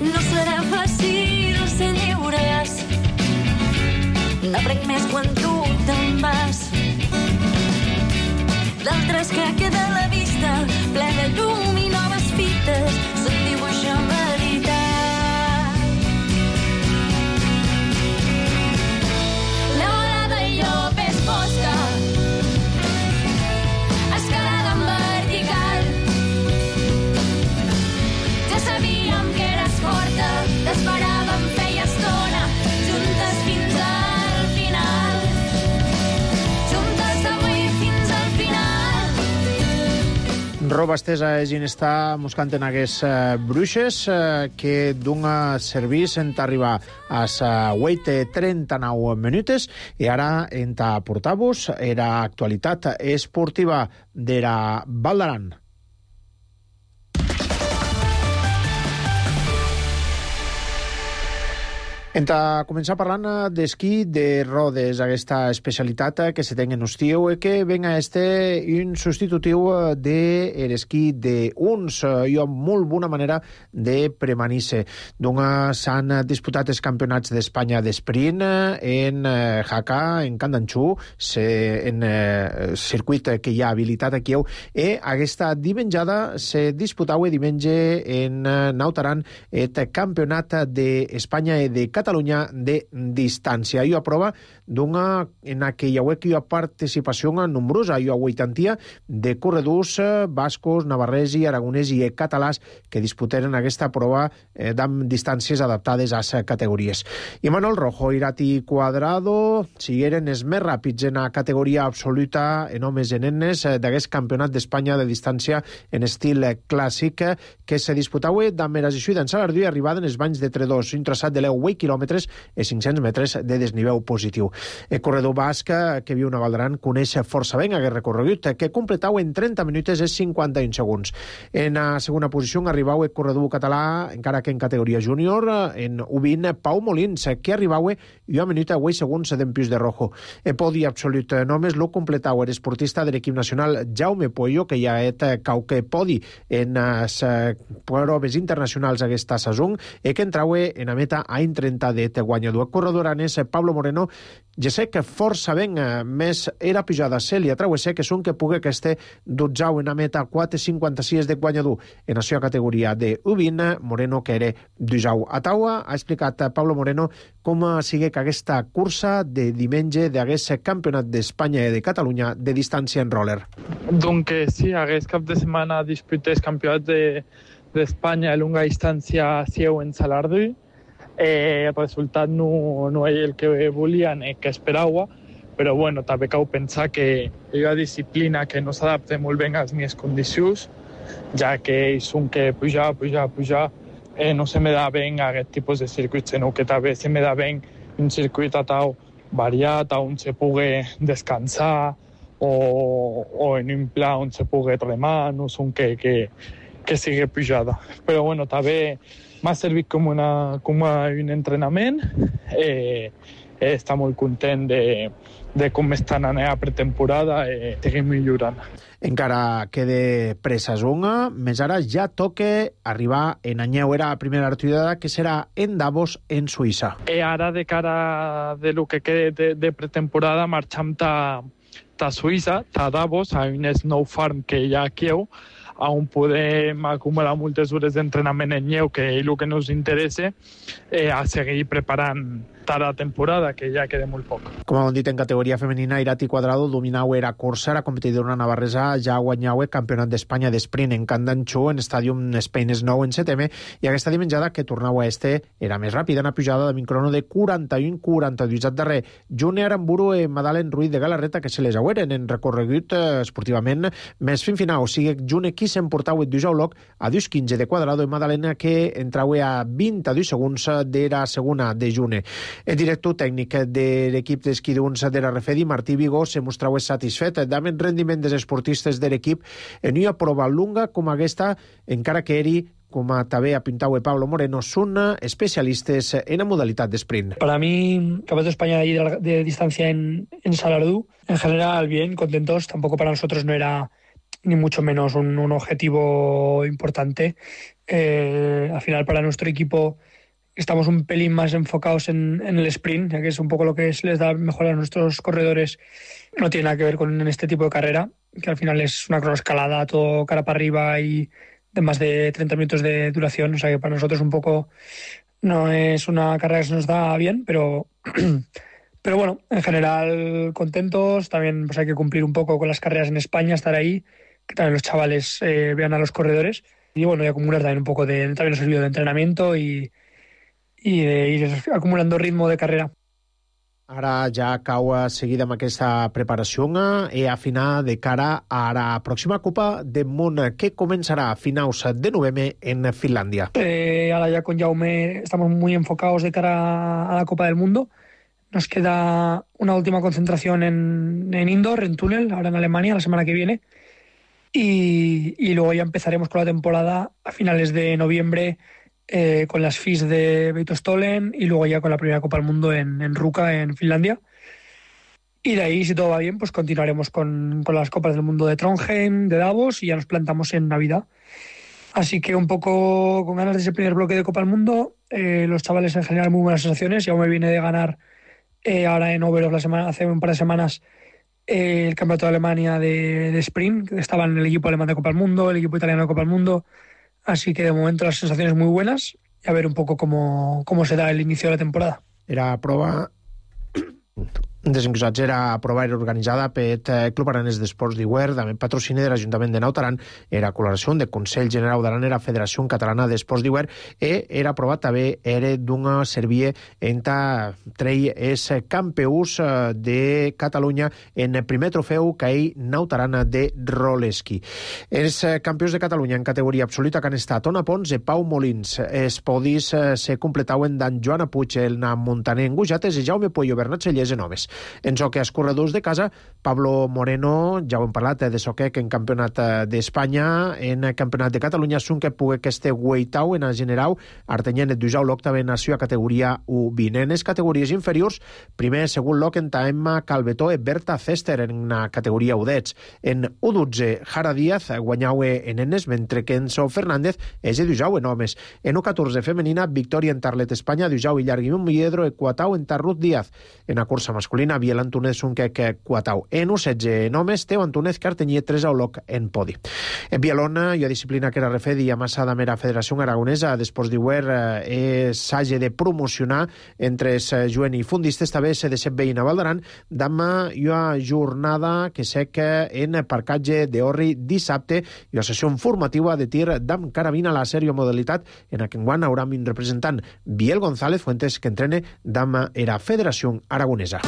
No serà fàcil ser lliures, n'aprenc més quan tu te'n vas. D'altres que queda a la vista, ple de llum i noves fites, se'n dibuixa veritat. La bola del llop és fosca, escalada en vertical. Ja sabíem que eres forta, t'esperàvem feia estona, juntes fins al final. Juntes d'avui fins al final. Roba estesa és in està buscant en aquests uh, bruixes uh, que d'un servís en arribar a sa vuit trenta-nou minutes i ara en ta portar-vos era actualitat esportiva de la Val d'Aran. En ta començar parlant d'esquí de rodes, aquesta especialitat que se ten en estiu i que venga este un substitutiu de l'esquí d'uns i amb molt bona manera de premanir-se. Donc s'han disputat els campionats d'Espanya d'esprint en Jaca, en Candanxú, en circuit que hi ha habilitat aquí, i aquesta dimenjada se disputava diumenge en Nautaran el campionat d'Espanya i de Catalunya Catalunya de distància. Hi ha prova d'una en aquella web que hi ha participació nombrosa, hi ha vuitantia de corredors bascos, navarresi, aragonesi i catalàs que disputaren aquesta prova eh, amb distàncies adaptades a les categories. I Manuel Rojo, Irati Cuadrado sigueren els més ràpids en la categoria absoluta en homes i nenes d'aquest campionat d'Espanya de distància en estil clàssic que se disputava amb Erasixuida en Salardú i arribada en els banys de Tredós, un traçat de deu quilòmetres i cinc-cents metres de desnivell positiu. El corredor basc que viu a Valdaran coneix força bé aquest recorregut, que completava en trenta minuts i cinquanta-un segons. En la segona posició arribava el corredor català, encara que en categoria júnior, en U vint, Pau Molins, que arribava i una minuta i segons d'en Pius de Rojo. El podi absolut només lo completava l'esportista de l'equip nacional Jaume Pollo, que ja ha cauque podi en les proves internacionals aquesta saison i que entrava en la meta a un trenta de guanyador. El corredor aranès Pablo Moreno ja sé que força ben més era pujada a Cèlia Trauesser que són que pugui que este dotzau en la meta quatre cinquanta-sis de guanyador en la seva categoria de U vint, Moreno que era duzau. A taua ha explicat Pablo Moreno com sigui que aquesta cursa de diumenge d'aquest campionat d'Espanya i de Catalunya de distància en roller. Donc sí, aquest cap de setmana disputés campionat de, d'Espanya de longa distància seu en Salardú. Eh, el resultat no, no és el que volien i que esperava, però bueno, també cal pensar que hi ha una disciplina que no s'adapta molt bé a les meves condicions, ja que ells són que pujar, pujar, pujar, eh, no se me da bé aquest tipus de circuits, sinó que també se me da bé un circuit a tal variat, on se pugui descansar, o, o en un pla on se pugui remar, no són que, que, que sigui pujada. Però bueno, també m'ha servit com, una, com un entrenament. Eh, eh, està molt content de, de com estan anant a pretemporada i seguim millorant. Encara queda presasonga, més ara ja toca arribar en anyeu era la primera activitat que serà en Davos, en Suïssa. I ara, de cara de lo que queda de, de pretemporada, marxam ta, ta Suïssa, ta Davos, a un snow farm que hi ha aquí, on podem acumular moltes hores d'entrenament en neu, que és el que ens interessa, eh, a seguir preparant la temporada, que ja queda molt poc. Com hem dit, en categoria femenina, Irati Cuadrado dominau era cursa, la competidora navarresa ja guanyau el campionat d'Espanya d'esprint en Candanxó, en Stadium Spain Snow en Setem, i aquesta dimenjada que tornau a este era més ràpida, una pujada de crono de quaranta-un quaranta-dos. Al darrer, June Aramburu i Madalen Ruiz de Galarreta, que se les aueren en recorregut eh, esportivament més fin final. O sigui, June qui s'emportau el duzau loc a dos quinze de Cuadrado i Madalena que entrau a vint-i-dos segons de la segona de June. El director tècnic de l'equip d'esquí d'uns de la Refedi, Martí Vigó, se mostrava satisfet amb el rendiment dels esportistes de l'equip en una prova lunga com aquesta, encara que eri, com també apuntava Pablo Moreno, son especialistes en la modalitat d'esprint. Para mí, Campeonato de España de, de distancia en, en Salardú, en general bien, contentos. Tampoco para nosotros no era ni mucho menos un, un objetivo importante. Eh, al final, para nuestro equipo, estamos un pelín más enfocados en, en el sprint, ya que es un poco lo que les da mejor a nuestros corredores. No tiene nada que ver con este tipo de carrera, que al final es una cronoescalada, todo cara para arriba y de más de treinta minutos de duración. O sea que para nosotros un poco no es una carrera que se nos da bien, pero, pero bueno, en general contentos. También pues hay que cumplir un poco con las carreras en España, estar ahí, que también los chavales eh, vean a los corredores. Y bueno, y acumular también un poco de, también nos ha servido de entrenamiento y i de ir acumulando ritmo de carrera. Ara ja cau seguida amb aquesta preparació i a final de cara a la pròxima Copa del Món que començarà a finals de novembre en Finlàndia. Eh, ahora ya con Jaume estamos muy enfocados de cara a la Copa del Mundo. Nos queda una última concentración en, en indoor, en túnel, ahora en Alemania, la semana que viene. Y, y luego ya empezaremos con la temporada a finales de noviembre, Eh, con las F I S de Beitostolen y luego ya con la primera Copa del Mundo en, en Ruka, en Finlandia. Y de ahí, si todo va bien, pues continuaremos con, con las Copas del Mundo de Trondheim, de Davos, y ya nos plantamos en Navidad. Así que un poco con ganas de ese primer bloque de Copa del Mundo. Eh, los chavales en general muy buenas sensaciones. Ya me viene de ganar eh, ahora en Oberhof la semana, hace un par de semanas eh, el Campeonato de Alemania de, de Sprint, que estaba en el equipo alemán de Copa del Mundo, el equipo italiano de Copa del Mundo. Así que de momento las sensaciones muy buenas y a ver un poco cómo, cómo se da el inicio de la temporada. Era prova desencusats era prova era organitzada per el Club Aranès d'Esports d'Iguer, també patrocini de l'Ajuntament de Naut Aran, era col·laboració de Consell General d'Aran, era Federació Catalana d'Esports d'Iguer, i era provat també era d'una servie enta trei és campeus de Catalunya en el primer trofeu que hi Naut Aran de roleski. Els campions de Catalunya en categoria absoluta que han estat Ona Pons i Pau Molins. Els podis se completaven d'en Joana Puig, el Montaner en Gujates i Jaume Puello Bernat Cellers en homes. En soque escorredors de casa, Pablo Moreno, ja ho hem parlat de soquec en campionat d'Espanya, en campionat de Catalunya, són que pugui que este Weitau en general, Artenyen et Dujau l'octava nació a categoria U vint. En les categories inferiors, primer segon loc en Emma Calvetó i Berta Cester en la categoria U dotze. En U dotze, Jara Díaz guanyau en enes, mentre que Enzo Fernández és de Dujau en homes. En U catorze femenina, Victòria en Tarlet Espanya, Dujau i Llarguimon Milledro i Quatau en Tarrut Díaz. En la cursa masculina, Biel Antúnez Sunquec Quatau. En U setze en homes, Teo Antúnez Cartenyer tres auloc en podi. En Bielona, i a disciplina que era refedi i amassada mera Federació Aragonesa d'Esports d'Iguer eh, s'hagi de promocionar entre els juen i fundistes també se de set veïna Valdaran demà hi ha jornada que sec en parcatge d'Orri dissabte i la sessió informativa de tir d'am carabina a la sèrie modalitat en aquest guany haurà un representant Biel González Fuentes que entrene d'am era Federació Aragonesa.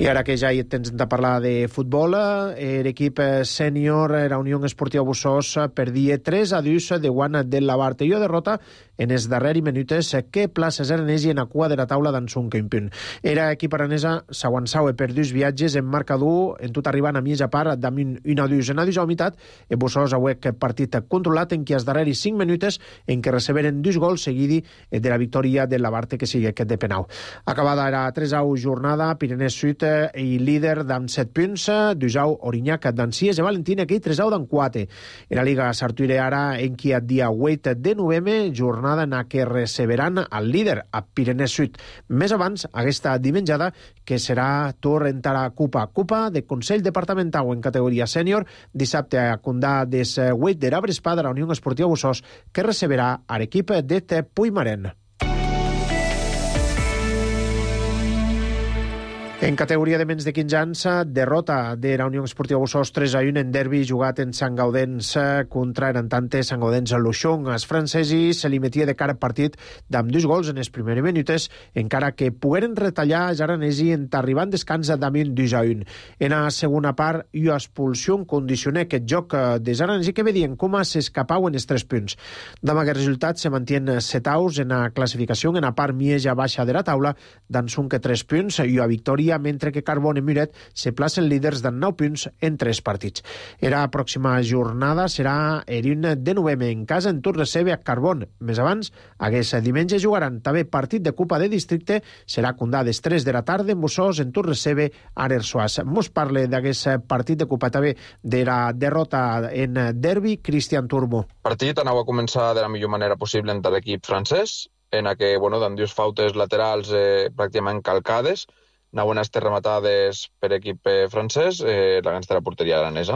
I ara que ja hi tens de parlar de futbol, l'equip sènior, la Unió Esportiva Bussos, perdia tres a dos de guana de la Barte. I derrota en els darrers minuts que places aranesi en la cua de la taula d'Ansun Kempun. Era equip aranesa s'aguançava per dos viatges en marcador, en tot arribant a mitja part damunt un a dos. En a dos a meitat, el Bussos ha huec partit controlat en què els darrers cinc minuts en què receberen dos gols seguidi de la victòria de la Barte que sigui aquest de penal. Acabada era tres a u jornada, Pirinès Sud i líder d'amb set punts, Dujau Orinyac d'en sis i Valentina que hi tres a u d'en quatre. En la Liga s'artuire ara en qui el dia vuit de novembre, jornada en què receberan el líder a Pirinès Sud. Més abans, aquesta dimenjada, que serà torn entrar a Copa. Copa de Consell Departamental en categoria sènior, dissabte a Condà des vuit de l'Abrespa de la Unió Esportiva Bussos, que receberà a l'equip de Puigmaren. En categoria de menys de quinze anys, derrota de la Unió Esportiva Bussos tres a u en derbi jugat en Sant Gaudens contra Erantante Sant Gaudens a Luxong. Els francesos se li metia de cara partit d'amb dos gols en els primers minuts, encara que pogueren retallar els aranesi en arribant descans damunt dos a u. En la segona part, i expulsió condicionà aquest joc dels aranesi que vedien com s'escapau en els tres punts. Amb aquest resultat se mantien set aus en la classificació en la part més baixa de la taula, d'Ansun que tres punts i a victòria, mentre que Carbon i Muret se placen líders de nou punts en tres partits. La pròxima jornada serà el un de novembre en casa en tot recebe a Carbon. Més abans, aquest diumenge jugaran també partit de Copa de Districte, serà Condà des tres de la tarda en Bussos en tot recebe a Arersoas. Mos parle d'aquest partit de Copa també de la derrota en derbi, Cristian Turbo. El partit anava a començar de la millor manera possible entre l'equip francès, en què, bueno, amb dues fautes laterals eh, pràcticament calcades, anaven a estar rematades per equip eh, francès, eh, la gansta de la porteria aranesa.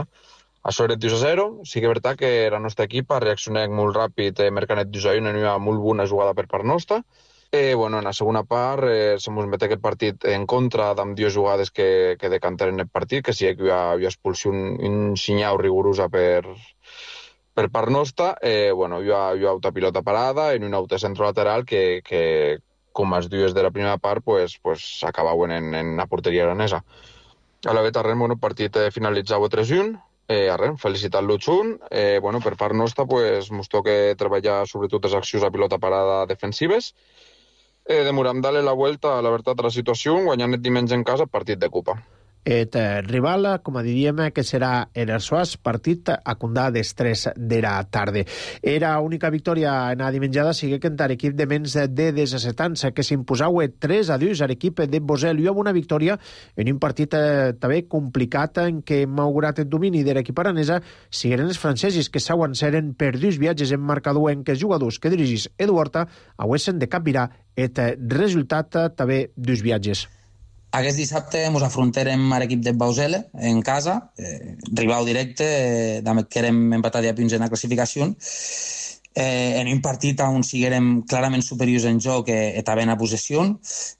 Això era dos a zero, sí que és veritat que el nostre equip ha reaccionat molt ràpid, eh, mercant dos a u, en una molt bona jugada per part nostra. Eh, bueno, en la segona part eh, se mos mete aquest partit en contra d'amb dues jugades que, que decantaren el partit, que sí que hi ha, hi ha expulsió un, un xinyau rigorosa per, per part nostra. Eh, bueno, hi ha, hi ha auta pilota parada en un auto centro lateral que, que com els dues de la primera part, pues, pues, s'acabaven en, en la porteria aranesa. A la veta, bueno, el partit eh, finalitzava tres a u, eh, arren, felicitat-lo xunt. Eh, bueno, per part nostra, pues, mos toca treballar sobretot les accions a pilota parada defensives. Eh, demorem darle la vuelta a la veritat a la situació, guanyant el diumenge en casa partit de Copa. Et rival, com a diríem, que serà Erersoas, partit a Condà des tres de la tarda. Era única victòria en la dimenjada, sigue que entar equip de menys de disset anys, que s'imposau tres a dos a l'equip de Bosel. I amb una victòria en un partit eh, també complicat en què, malgrat el domini de l'equip aranesa, sigueren els francesos que s'aguanceren per dos viatges en marcador en què els jugadors que dirigís Edu Horta hauessin de capgirar el resultat també dos viatges. Aquest dissabte ens afrontarem a l'equip de Bausele en casa, eh, rival directe, eh, damb que érem empatats a punts en la classificació. Eh, en un partit on siguérem clarament superiors en joc eh, i també en la possessió,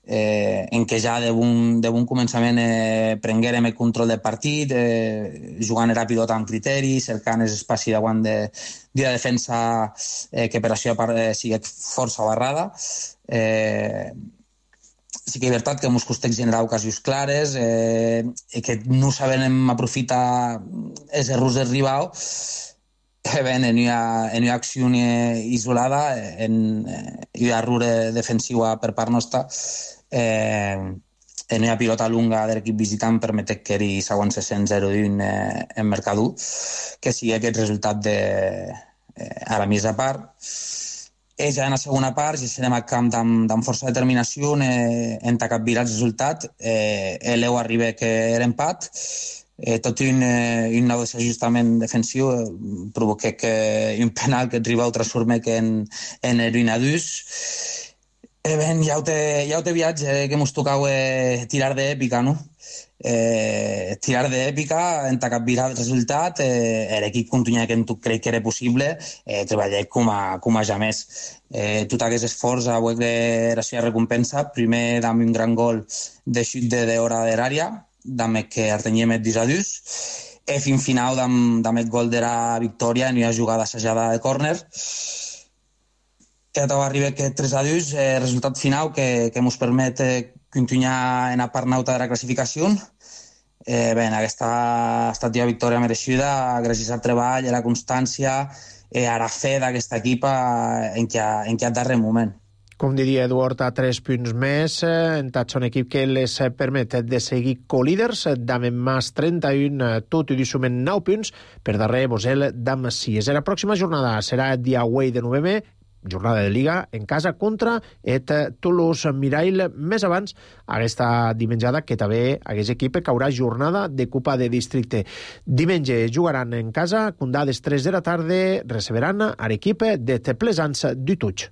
eh, en què ja de bon, de bon començament eh, prenguérem el control del partit, eh, jugant la pilota amb criteri, cercant l'espai davant de, de la defensa eh, que per això eh, sigui força barrada. Eh, sí que és veritat que ens costa generar ocasions clares eh, i que no sabem aprofitar els errors del rival. Eh, bé, en una, en una acció isolada, en, en una error defensiu per part nostra, eh, en una pilota lunga de l'equip visitant permet que hi següent sescent zero un eh, en Mercadú, que sigui aquest resultat de, eh, a la mitja part. Eh, ja en la segona part, ja serem al camp amb, amb força determinació, eh, en capgirar el resultat. Eh, l'Eu arriba que era empat, eh, tot i un, eh, un nou desajustament defensiu eh, provoca que un penal que el rival transforma que en, en l'Uinadús. Eh, ben, ja ho té, ja ho té viatge, eh, que ens tocava eh, tirar d'èpica, no? Eh, tirar d'èpica, en capgirar el resultat, eh, l'equip continua que crec que era possible, eh, treballar com a, com a ja més. Eh, tot aquest esforç avui que era la recompensa, primer amb un gran gol de xut de d'hora de l'àrea, amb que artenyem el disadús, i fins final amb, amb el gol de la victòria en una jugada assajada de córner. I ara arriba aquest tres a dos, eh, resultat final que, que ens permet eh, continuar en la part nauta de la classificació. Eh, bé, aquesta ha estat una victòria mereixida gràcies al treball, a la constància, eh, a la fe d'aquesta equipa en què en aquest darrer moment. Com diria Eduard, a tres punts més, en tot un equip que les permet de seguir co-líders, d'Amen Mas trenta-un, tot i sumen nou punts, per darrer Bosel d'Am sis. La pròxima jornada serà el dia vuit de novembre, jornada de Liga en casa contra et Toulouse Mirail. Més abans, aquesta dimenjada que també aquest equip caurà jornada de Copa de Districte. Diumenge jugaran en casa, condades tres de la tarda, receberan a l'equip de Pleasants du Touch.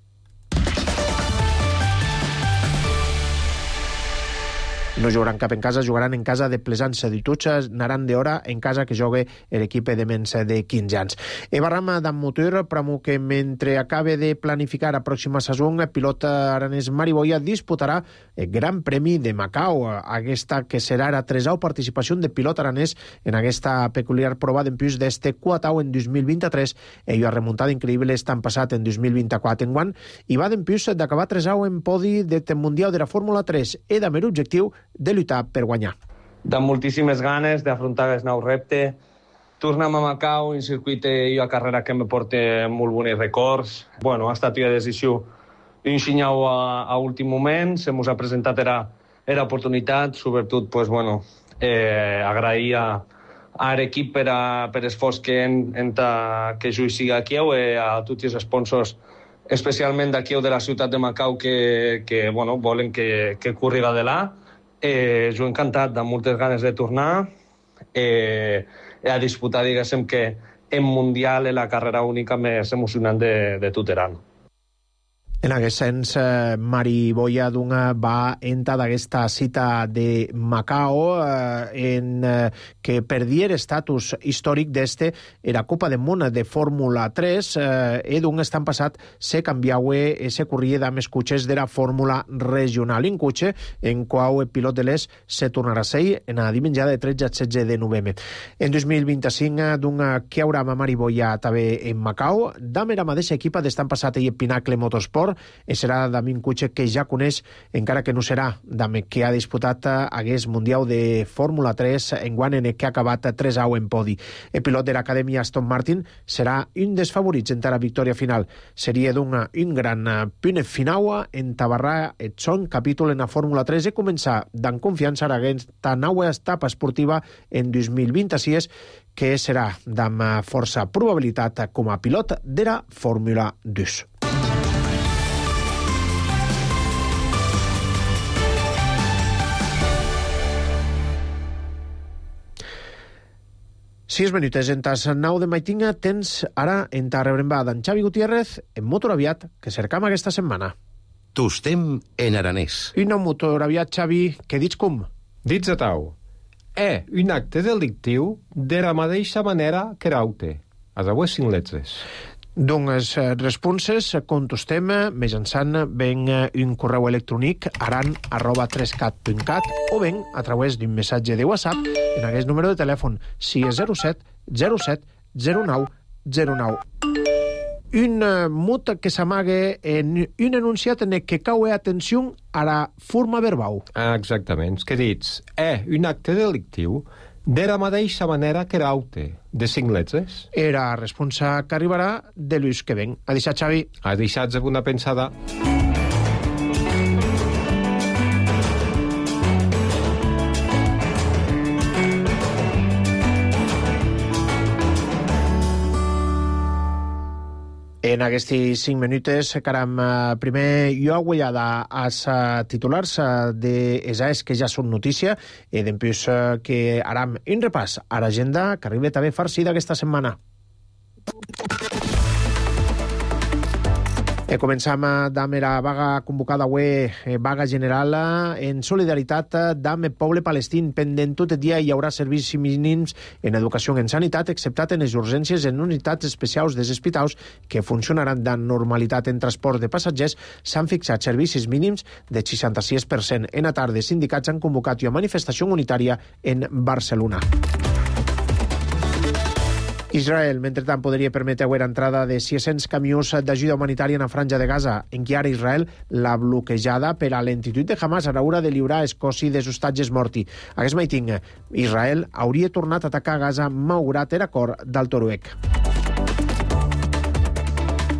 No jugaran cap en casa, jugaran en casa de Pleasants du Touch, anaran d'hora en casa que jogue l'equip de menys de quinze anys. E barram d'en motor, pramo que mentre acabe de planificar la pròxima saison, el pilot aranès Mari Boya disputarà el Gran Premi de Macau, aquesta que serà la tresau participació de pilot aranès en aquesta peculiar prova d'empús d'este Cuatau en dos mil vint-i-tres. Ell ha remuntat increïble estan passat en dos mil vint-i-quatre en guant i va d'empús d'acabar tresau en podi del Mundial de la Fórmula tres i d'haver objectiu de lluitar per guanyar. De moltíssimes ganes d'afrontar el nou repte. Tornem a Macau, un circuit i una carrera que me porta molt bons records. Bueno, ha estat una decisió d'un xinyau a, a últim moment, se mos ha presentat era, era oportunitat, sobretot, pues, bueno, eh, agrair a, a l'equip per, a, per l'esforç que, en, en ta, que jo hi siga aquí, i a tots els sponsors, especialment d'aquí de la ciutat de Macau, que, que bueno, volen que, que corriga de là. Eh, jo encantat, amb moltes ganes de tornar eh, a disputar, diguéssim, que en Mundial és la carrera única més emocionant de, de tot l'any. En aquest sens, eh, Mari Boya Dunga va entrar d'aquesta cita de Macau eh, en eh, que perdia l'estatus històric d'este era Copa del Món de Fórmula tres eh, i Dunga estan passat se canviaue e se corria d'amb els cotxes de la Fórmula regional. Un cotxe en qual el pilot de l'Es se tornarà a ser en la dimenjada de tretze a setze de novembre. En dos mil vint-i-cinc, Dunga que haurà amb Mari Boya també en Macau, d'amb la mateixa equipa d'estan passat i el Pinacle Motorsport, i serà d'amb un cotxe que ja coneix, encara que no serà d'amb que ha disputat aquest Mundial de Fórmula tres en guant en el que ha acabat tres a u en podi. El pilot de l'acadèmia Aston Martin serà un dels favorits en la victòria final. Seria d'un un gran punt final en tabarrar el son capítol en la Fórmula tres i començar d'en confiança a aquesta nova etapa esportiva en dos mil vint-i-sis, que serà d'amb força probabilitat com a pilot de la Fórmula dos. Sis minutes en tas nou de maitinga tens ara en ta rebremba d'en Xavi Gutiérrez en Motor Aviat, que cercam aquesta setmana. Tostem en aranès. Una motor aviat, Xavi, que dits com? Dits a tau. È un acte delictiu de la mateixa manera que raute. A dues cinc lletres. Doncs responses contestem mitjançant ben un correu electrònic aran arroba trescat punt cat o ben a través d'un missatge de WhatsApp en aquest número de telèfon sis zero set zero set zero nou zero nou. Un mot que s'amaga en un enunciat en el que cau atenció a la forma verbal. Exactament. Que dits, è un acte delictiu de la mateixa manera que raute, de cinc lletres. Era responsa que arribarà de l'ús que ven. A deixar, Xavi. A deixar una pensada. En aquests cinc minutes, caram, primer jo agullada als titulars de ESAES que ja són notícia i després que aram un repàs a l'agenda que arriba també farcida aquesta setmana. E començam amb la vaga convocada avui, vaga general en solidaritat amb el poble palestín. Pendent tot el dia hi haurà servicis mínims en educació i en sanitat, exceptat en les urgències en unitats especials dels hospitals que funcionaran de normalitat en transport de passatgers. S'han fixat servicis mínims de seixanta-sis per cent. En la tarda, sindicats han convocat una manifestació unitària en Barcelona. Israel, mentrestant, podria permetre l'entrada de sis-cents camions d'ajuda humanitària en la franja de Gaza. Encara Israel la bloquejada per a l'entitud de Hamas a l'hora de lliurar el cossi dels hostatges morti. Aquest meiting, Israel hauria tornat a atacar Gaza malgrat l'acord del Toruec.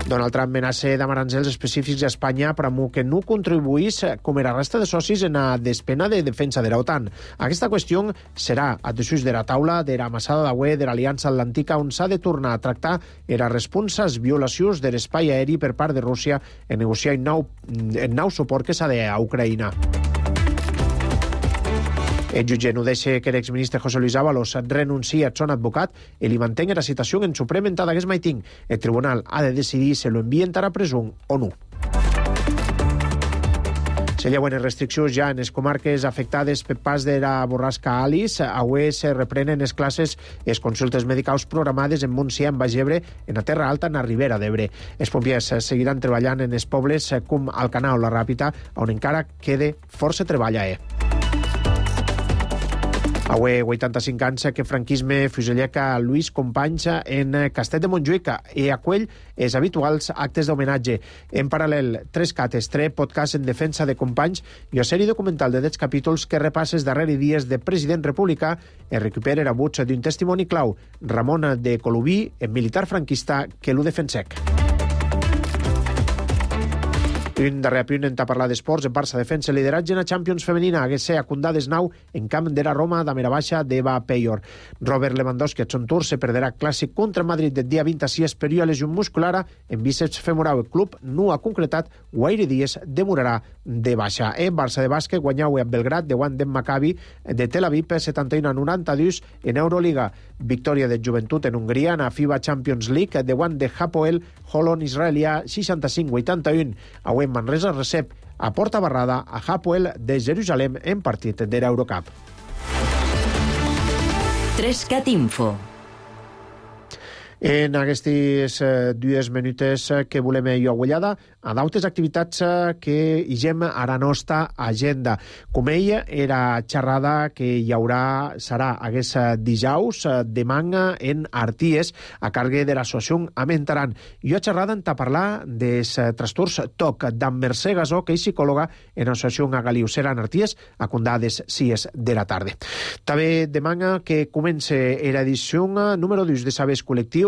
Donald Trump amenaça amb aranzels específics a Espanya per a que no contribuís com la resta de socis en la despena de defensa de l'OTAN. Aquesta qüestió serà a desús de la taula de la massada de UE de l'Aliança Atlàntica on s'ha de tornar a tractar les responses violacions de l'espai aeri per part de Rússia en negociar el nou, el nou suport que s'ha de a Ucraïna. El jutge no deixa que l'exministre José Luis Ábalos renuncie a son advocat i li mantenga la citació en Suprem en aquest meiting. El tribunal ha de decidir si lo envien a presó o no. Se lleuen restriccions ja en les comarques afectades per pas de la borrasca Alice. Avui se reprenen les classes i les consultes medicals programades en Montsià, en Baix Ebre, en la Terra Alta, en la Ribera d'Ebre. Els pompiers seguiran treballant en els pobles com Alcanar o la Ràpita, on encara queda força treball a eh. Avui, vuitanta-cinc anys que franquisme fuselleca Lluís Companys en Castell de Montjuïc i acull els habituals actes d'homenatge. En paral·lel, tres cates, tres podcast en defensa de Companys i una sèrie documental de deu capítols que repassa els darrers dies de president republicà i recupera el buig d'un testimoni clau, Ramon de Colubí, el militar franquista que l'ho defensec. Un darrer apunt en parlar d'esports. El Barça defensa el lideratge en la Champions femenina. Hagués ser acundades nou en camp de la Roma de Mirabaixa d'Eva Peyor. Robert Lewandowski a son tour se perderà clàssic contra Madrid del dia vint-i-sis per una lesió muscular en bíceps femoral. El club no ha concretat gaire dies demorarà de baixa. En Barça de bàsquet guanyau a Belgrat de guant d'en Maccabi de Tel Aviv per setanta-u a noranta-dos en Euroliga. Victòria de Joventut en Hongria en la FIBA Champions League de guant de Hapoel Holon israelià seixanta-cinc a vuitanta-u. Avui Manresa recep a porta barrada a Hapoel de Jerusalem en partit de l'Eurocup. Trescat Info. En aquestes eh, dues minutes que volem jo agullada a d'altres activitats que higem a la nostra agenda. Com ella, era xerrada que hi haurà, serà aquest dijous de manga en Arties a càrrec de l'associació Amentaran. Jo xerrada en parlar dels trastorns T O C d'en Mercè Gasó, que és psicòloga en l'associació Agaliucera en Arties a condades sis de la tarda. També de manga que comença l'edició número dos de Sabers Col·lectius,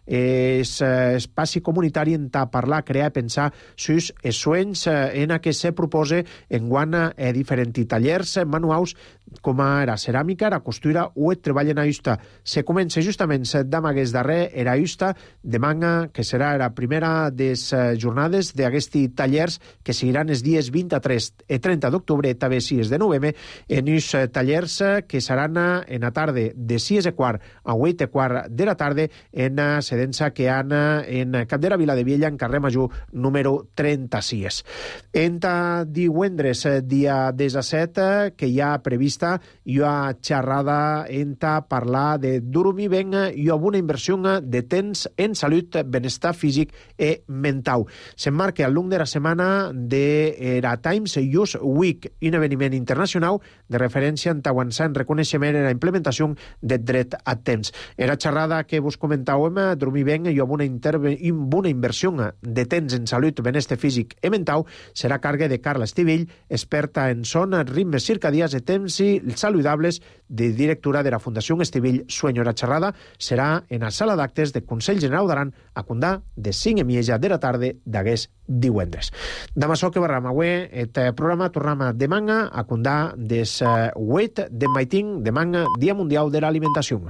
és espaci comunitari en parlar, crear i pensar sus els sueños en què se propose en guana diferents tallers manuals com era ceràmica, era costura o et treballen a justa. Se comença justament d'amagues darrer era justa de manga, que serà la primera des jornades d'aquesti tallers que seguiran els dies vint-i-tres i trenta d'octubre, també sis de novembre, en uns tallers que seran en la tarda de sis i quart a vuit i quart de la tarda en sedença que han en Capdera Vila de Viella, en carrer Major número trenta-sis. Enta divendres, dia disset, que hi ha prevista hi ha xerrada enta parlar de dormir ben i amb una inversió de temps en salut, benestar físic i mental. S'emmarca al llarg de la setmana de la Times Youth Week, un esdeveniment internacional de referència en avançar en reconeixement i la implementació del dret a temps. En la xerrada que vos comentàvem, dormir ben i amb una, interve... una inversió de temps en salut, benestar físic i mental, serà a càrrec de Carla Estivell, experta en son, ritmes circadians i temps i saludables, de directora de la Fundació Estivell Sueño. La xerrada serà en la sala d'actes del Consell General d'Aran a Condà de cinc i mitja de la tarda d'aquest divendres. Demà açò que barram avui, el programa tornem demà a Condà des vuit de maiting, demà Dia Mundial de l'Alimentació.